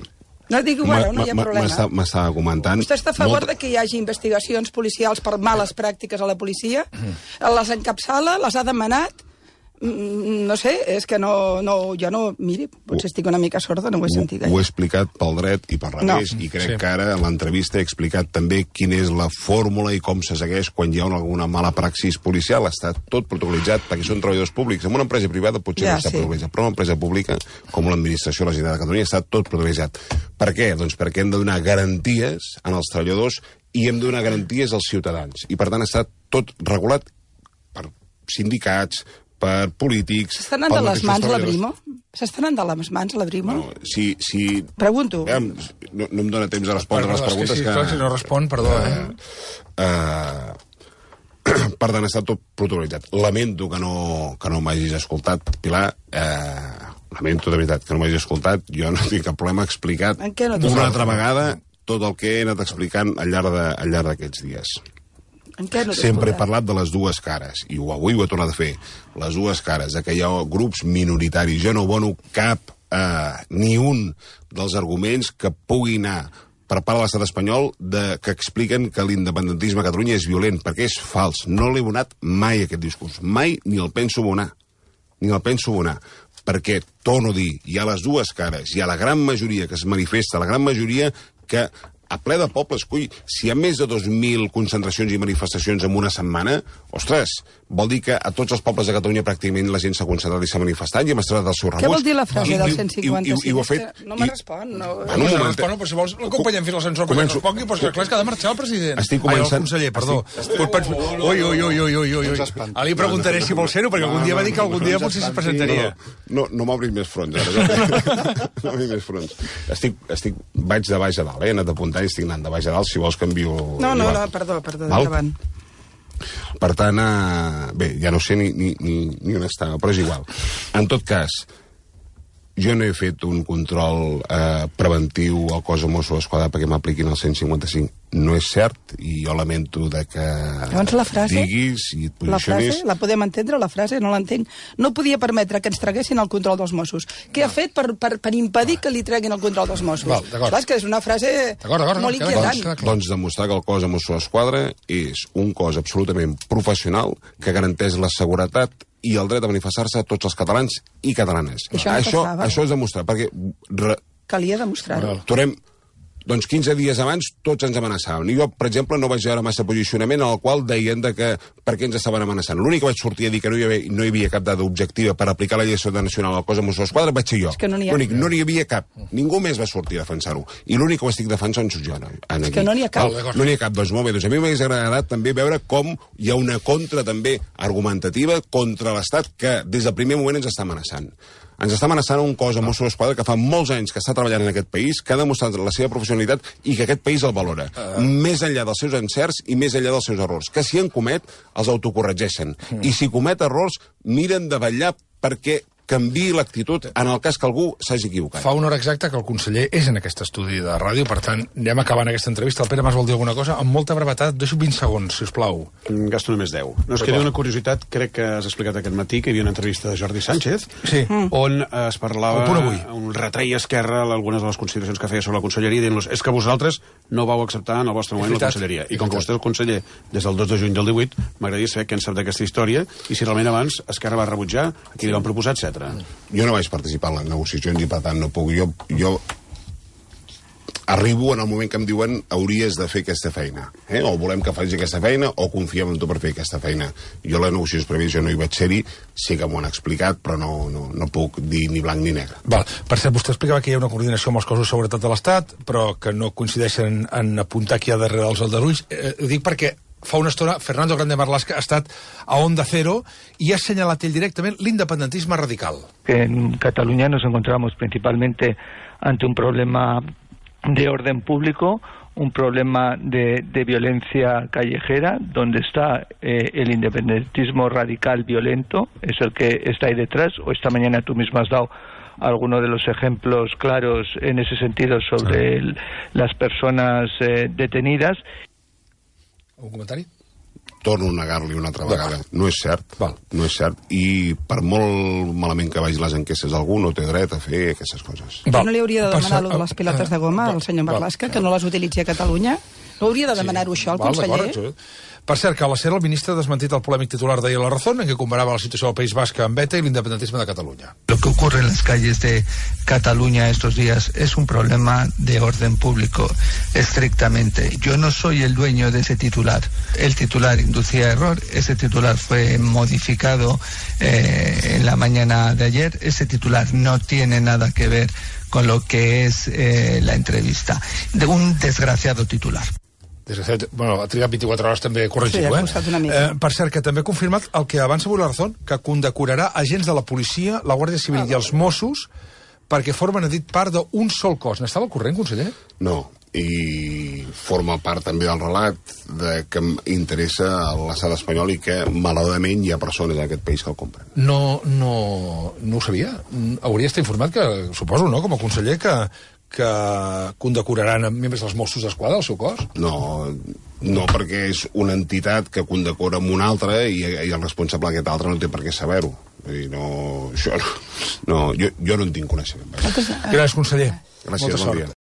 G: No dic, bueno, no hi ha problema.
B: M'estava comentant...
G: Vostè està a favor molt... de que hi hagi investigacions policials per males pràctiques a la policia? Mm. Les encapçala, les ha demanat? Mm, no sé, és que no, no... Jo no... Miri, potser estic una mica sorda, no ho he sentit gaire.
B: Ho he explicat pel dret i per revés, no. I crec sí. que ara en l'entrevista he explicat també quina és la fórmula i com se segueix quan hi ha alguna mala praxis policial. Està tot protocolitzat perquè són treballadors públics. En una empresa privada potser ja, no està sí. protocolitzat, però en una empresa pública, com l'administració de la Generalitat de Catalunya, està tot protocolitzat. Per què? Doncs perquè hem de donar garanties als treballadors i hem de donar garanties als ciutadans. I per tant està tot regulat per sindicats, per polítics...
G: S'estan anant de les mans a la Brimo? S'estan anant de les mans a la Brimo?
B: No, si, si...
G: Pregunto.
B: Eh, no, no em dóna temps de respondre
A: perdó,
B: les preguntes
A: que... Sí,
B: que...
A: Si no respon, perdó, eh?
B: eh, eh per tant, està tot protocolitzat. Lamento que no, que no m'hagis escoltat, Pilar. Eh, lamento, de veritat, que no m'hagis escoltat. Jo no tinc cap problema explicat
G: no
B: una altra vegada tot el que he anat explicant al llarg de, al llarg d'aquests dies.
G: No
B: Sempre he parlat de les dues cares, i avui ho he tornat a fer, les dues cares, de que hi ha grups minoritaris. Jo no abono cap, eh, ni un dels arguments que pugui anar per part de l'estat espanyol de, que expliquen que l'independentisme a Catalunya és violent, perquè és fals. No l'he abonat mai, aquest discurs. Mai ni el penso abonar. Ni el penso abonar. Perquè, torno a dir, hi ha les dues cares, hi ha la gran majoria que es manifesta, la gran majoria que... a ple de pobles, coi, si hi ha més de dos mil concentracions i manifestacions en una setmana, ostres, vol dir que a tots els pobles de Catalunya pràcticament la gent s'ha concentrat i s'ha manifestat i hem estat el seu rebuig.
G: Què vol dir la frase I, del cent cinquanta-cinc?
B: I, i, i, i ho ha fet...
G: No me respon. No,
A: no, no, no respon, però si vols l'acompanyem fins a l'ascensor perquè no respongui, però clar, és que ha de marxar el president.
B: Estic començant...
A: Ai, el conseller, perdó. Estic... Estic... Ui, ui, ui, ui, ui, ui. Ara li preguntaré si vol ser-ho, perquè algun dia va dir que algun dia potser es presentaria.
B: No, no m'obris més fronts, ara. No m'obris més fronts. Estic, estic, vaig de baix a dalt, eh? He anat apuntant i estic anant de baix a dalt, si vols canvio...
G: No, no, no, perdó, perdó, endavant.
B: Per tant, eh, bé, ja no sé ni, ni, ni, ni on estava, però és igual. En tot cas, jo no he fet un control eh, preventiu al cos de Mossos d'Esquadra perquè m'apliquin el cent cinquanta-cinc. No és cert, i jo lamento de que
G: llavors la frase,
B: diguis i et posicionis...
G: La frase, la podem entendre, la frase? No l'entenc. No podia permetre que ens traguessin el control dels Mossos. Què no. ha fet per, per, per impedir que li treguin el control dels Mossos? Val, Clar, és que és una frase molt inquietant.
B: Doncs, doncs demostrar que el cos de Mossos d'Esquadra és un cos absolutament professional que garanteix la seguretat i el dret a manifestar-se a tots els catalans i catalanes.
G: Això, no
B: això, això és demostrar, perquè re,
G: calia demostrar-ho.
B: Tornem... Doncs quinze dies abans tots ens amenaçaven. I jo, per exemple, no vaig veure massa posicionament en el qual deien de que per què ens estaven amenaçant. L'únic que vaig sortir a dir que no hi havia, no hi havia cap dada objectiva per aplicar la llei de seguretat nacional al cos de Mossos d'Esquadra vaig ser jo.
G: És que no n'hi ha.
B: L'únic, no n'hi havia cap. Ningú més va sortir a defensar-ho. I l'únic que ho estic defensant soc jo.
G: És que no n'hi ha cap.
B: No n'hi ha cap. Doncs molt bé. Doncs a mi m'hagués agradat també veure com hi ha una contra també argumentativa contra l'Estat que des del primer moment ens està amenaçant. Ens està amenaçant un cos de Mossos d'Esquadra que fa molts anys que està treballant en aquest país, que ha demostrat la seva professionalitat i que aquest país el valora. Uh... Més enllà dels seus encerts i més enllà dels seus errors. Que si en comet, els autocorregeixen. Mm. I si comet errors, miren de vetllar perquè canviï l'actitud en el cas que algú s'hagi equivocat.
A: Fa una hora exacta que el conseller és en aquest estudi de ràdio, per tant, anem acabant aquesta entrevista. El Pere Mas vol dir alguna cosa? Amb molta brevetat, deixo vint segons, si us plau.
F: Gasto només deu. No, es queda una curiositat, crec que has explicat aquest matí que hi havia una entrevista de Jordi Sánchez,
A: sí.
F: on es parlava un retreia esquerra algunes de les consideracions que feia sobre la conselleria, dient-los, és que vosaltres no vau acceptar en el vostre moment la conselleria. I com que vostè és el conseller des del dos de juny del divuit, m'agradaria saber què en sap d'aquesta història i si realment abans Esquerra va rebutjar, a qui li van proposar, etcètera.
B: Jo no vaig participar en les negociacions i per tant no puc. Jo, jo arribo en el moment que em diuen hauries de fer aquesta feina. Eh? O volem que facis aquesta feina o confiem en tu per fer aquesta feina. Jo les negociacions prèvies jo no hi vaig ser-hi, sí que m'ho han explicat, però no, no, no puc dir ni blanc ni negre.
A: Val. Per cert, vostè explicava que hi ha una coordinació amb els cossos de seguretat de l'Estat, però que no coincideixen en apuntar qui hi ha darrere dels aldarulls. Eh, ho dic perquè fa una estona Fernando Grande Marlaska ha estat a Onda Cero y ha señalado él directamente el independentismo radical.
H: En Cataluña nos encontramos principalmente ante un problema de orden público, un problema de, de violencia callejera, donde está eh, el independentismo radical violento, es el que está ahí detrás, o esta mañana tú mismo has dado algunos de los ejemplos claros en ese sentido sobre el, las personas eh, detenidas.
A: Un comentari?
B: Torno a negar-li una altra vegada. No és cert. Val. No és cert. I per molt malament que vagin les enquestes, algú no té dret a fer aquestes coses.
G: Val. No li hauria de demanar allò de les pilotes de goma al senyor Marlaska, que no les utilitzi a Catalunya? No hauria de demanar-ho
A: sí.
G: això al
A: Val,
G: conseller?
A: Per cert, que a la SER el ministre ha desmentit el polèmic titular d'ahir a La Razón, en què comparava la situació del País Basc amb ETA i l'independentisme de Catalunya.
H: Lo que ocurre en las calles de Cataluña estos días es un problema de orden público, estrictamente. Yo no soy el dueño de ese titular. El titular inducía error, ese titular fue modificado eh, en la mañana de ayer. Ese titular no tiene nada que ver con lo que es eh, la entrevista. De un desgraciado titular.
A: Desgraciat, bueno, ha trigat vint-i-quatre hores també a corregir-ho,
G: sí,
A: eh? eh? Per cert, que també ha confirmat el que avança avui La Razón, que condecorarà agents de la policia, la Guàrdia Civil ah, i els Mossos perquè formen, ha dit, part d'un sol cos. N'estava al corrent, conseller?
B: No, i forma part també del relat de que interessa a l'estat espanyol i que, malauradament, hi ha persones en aquest país que el compren.
A: No, no, no ho sabia. Hauria estat informat que, suposo, no?, com a conseller, que que condecoraran membres dels Mossos d'Esquadra, el seu cos?
B: No, no, perquè és una entitat que condecora amb una altra i, i el responsable d'aquest altre no té per què saber-ho. No, això no, no, jo, jo no en tinc coneixement.
A: Gràcies, conseller.
B: Gràcies, bon dia.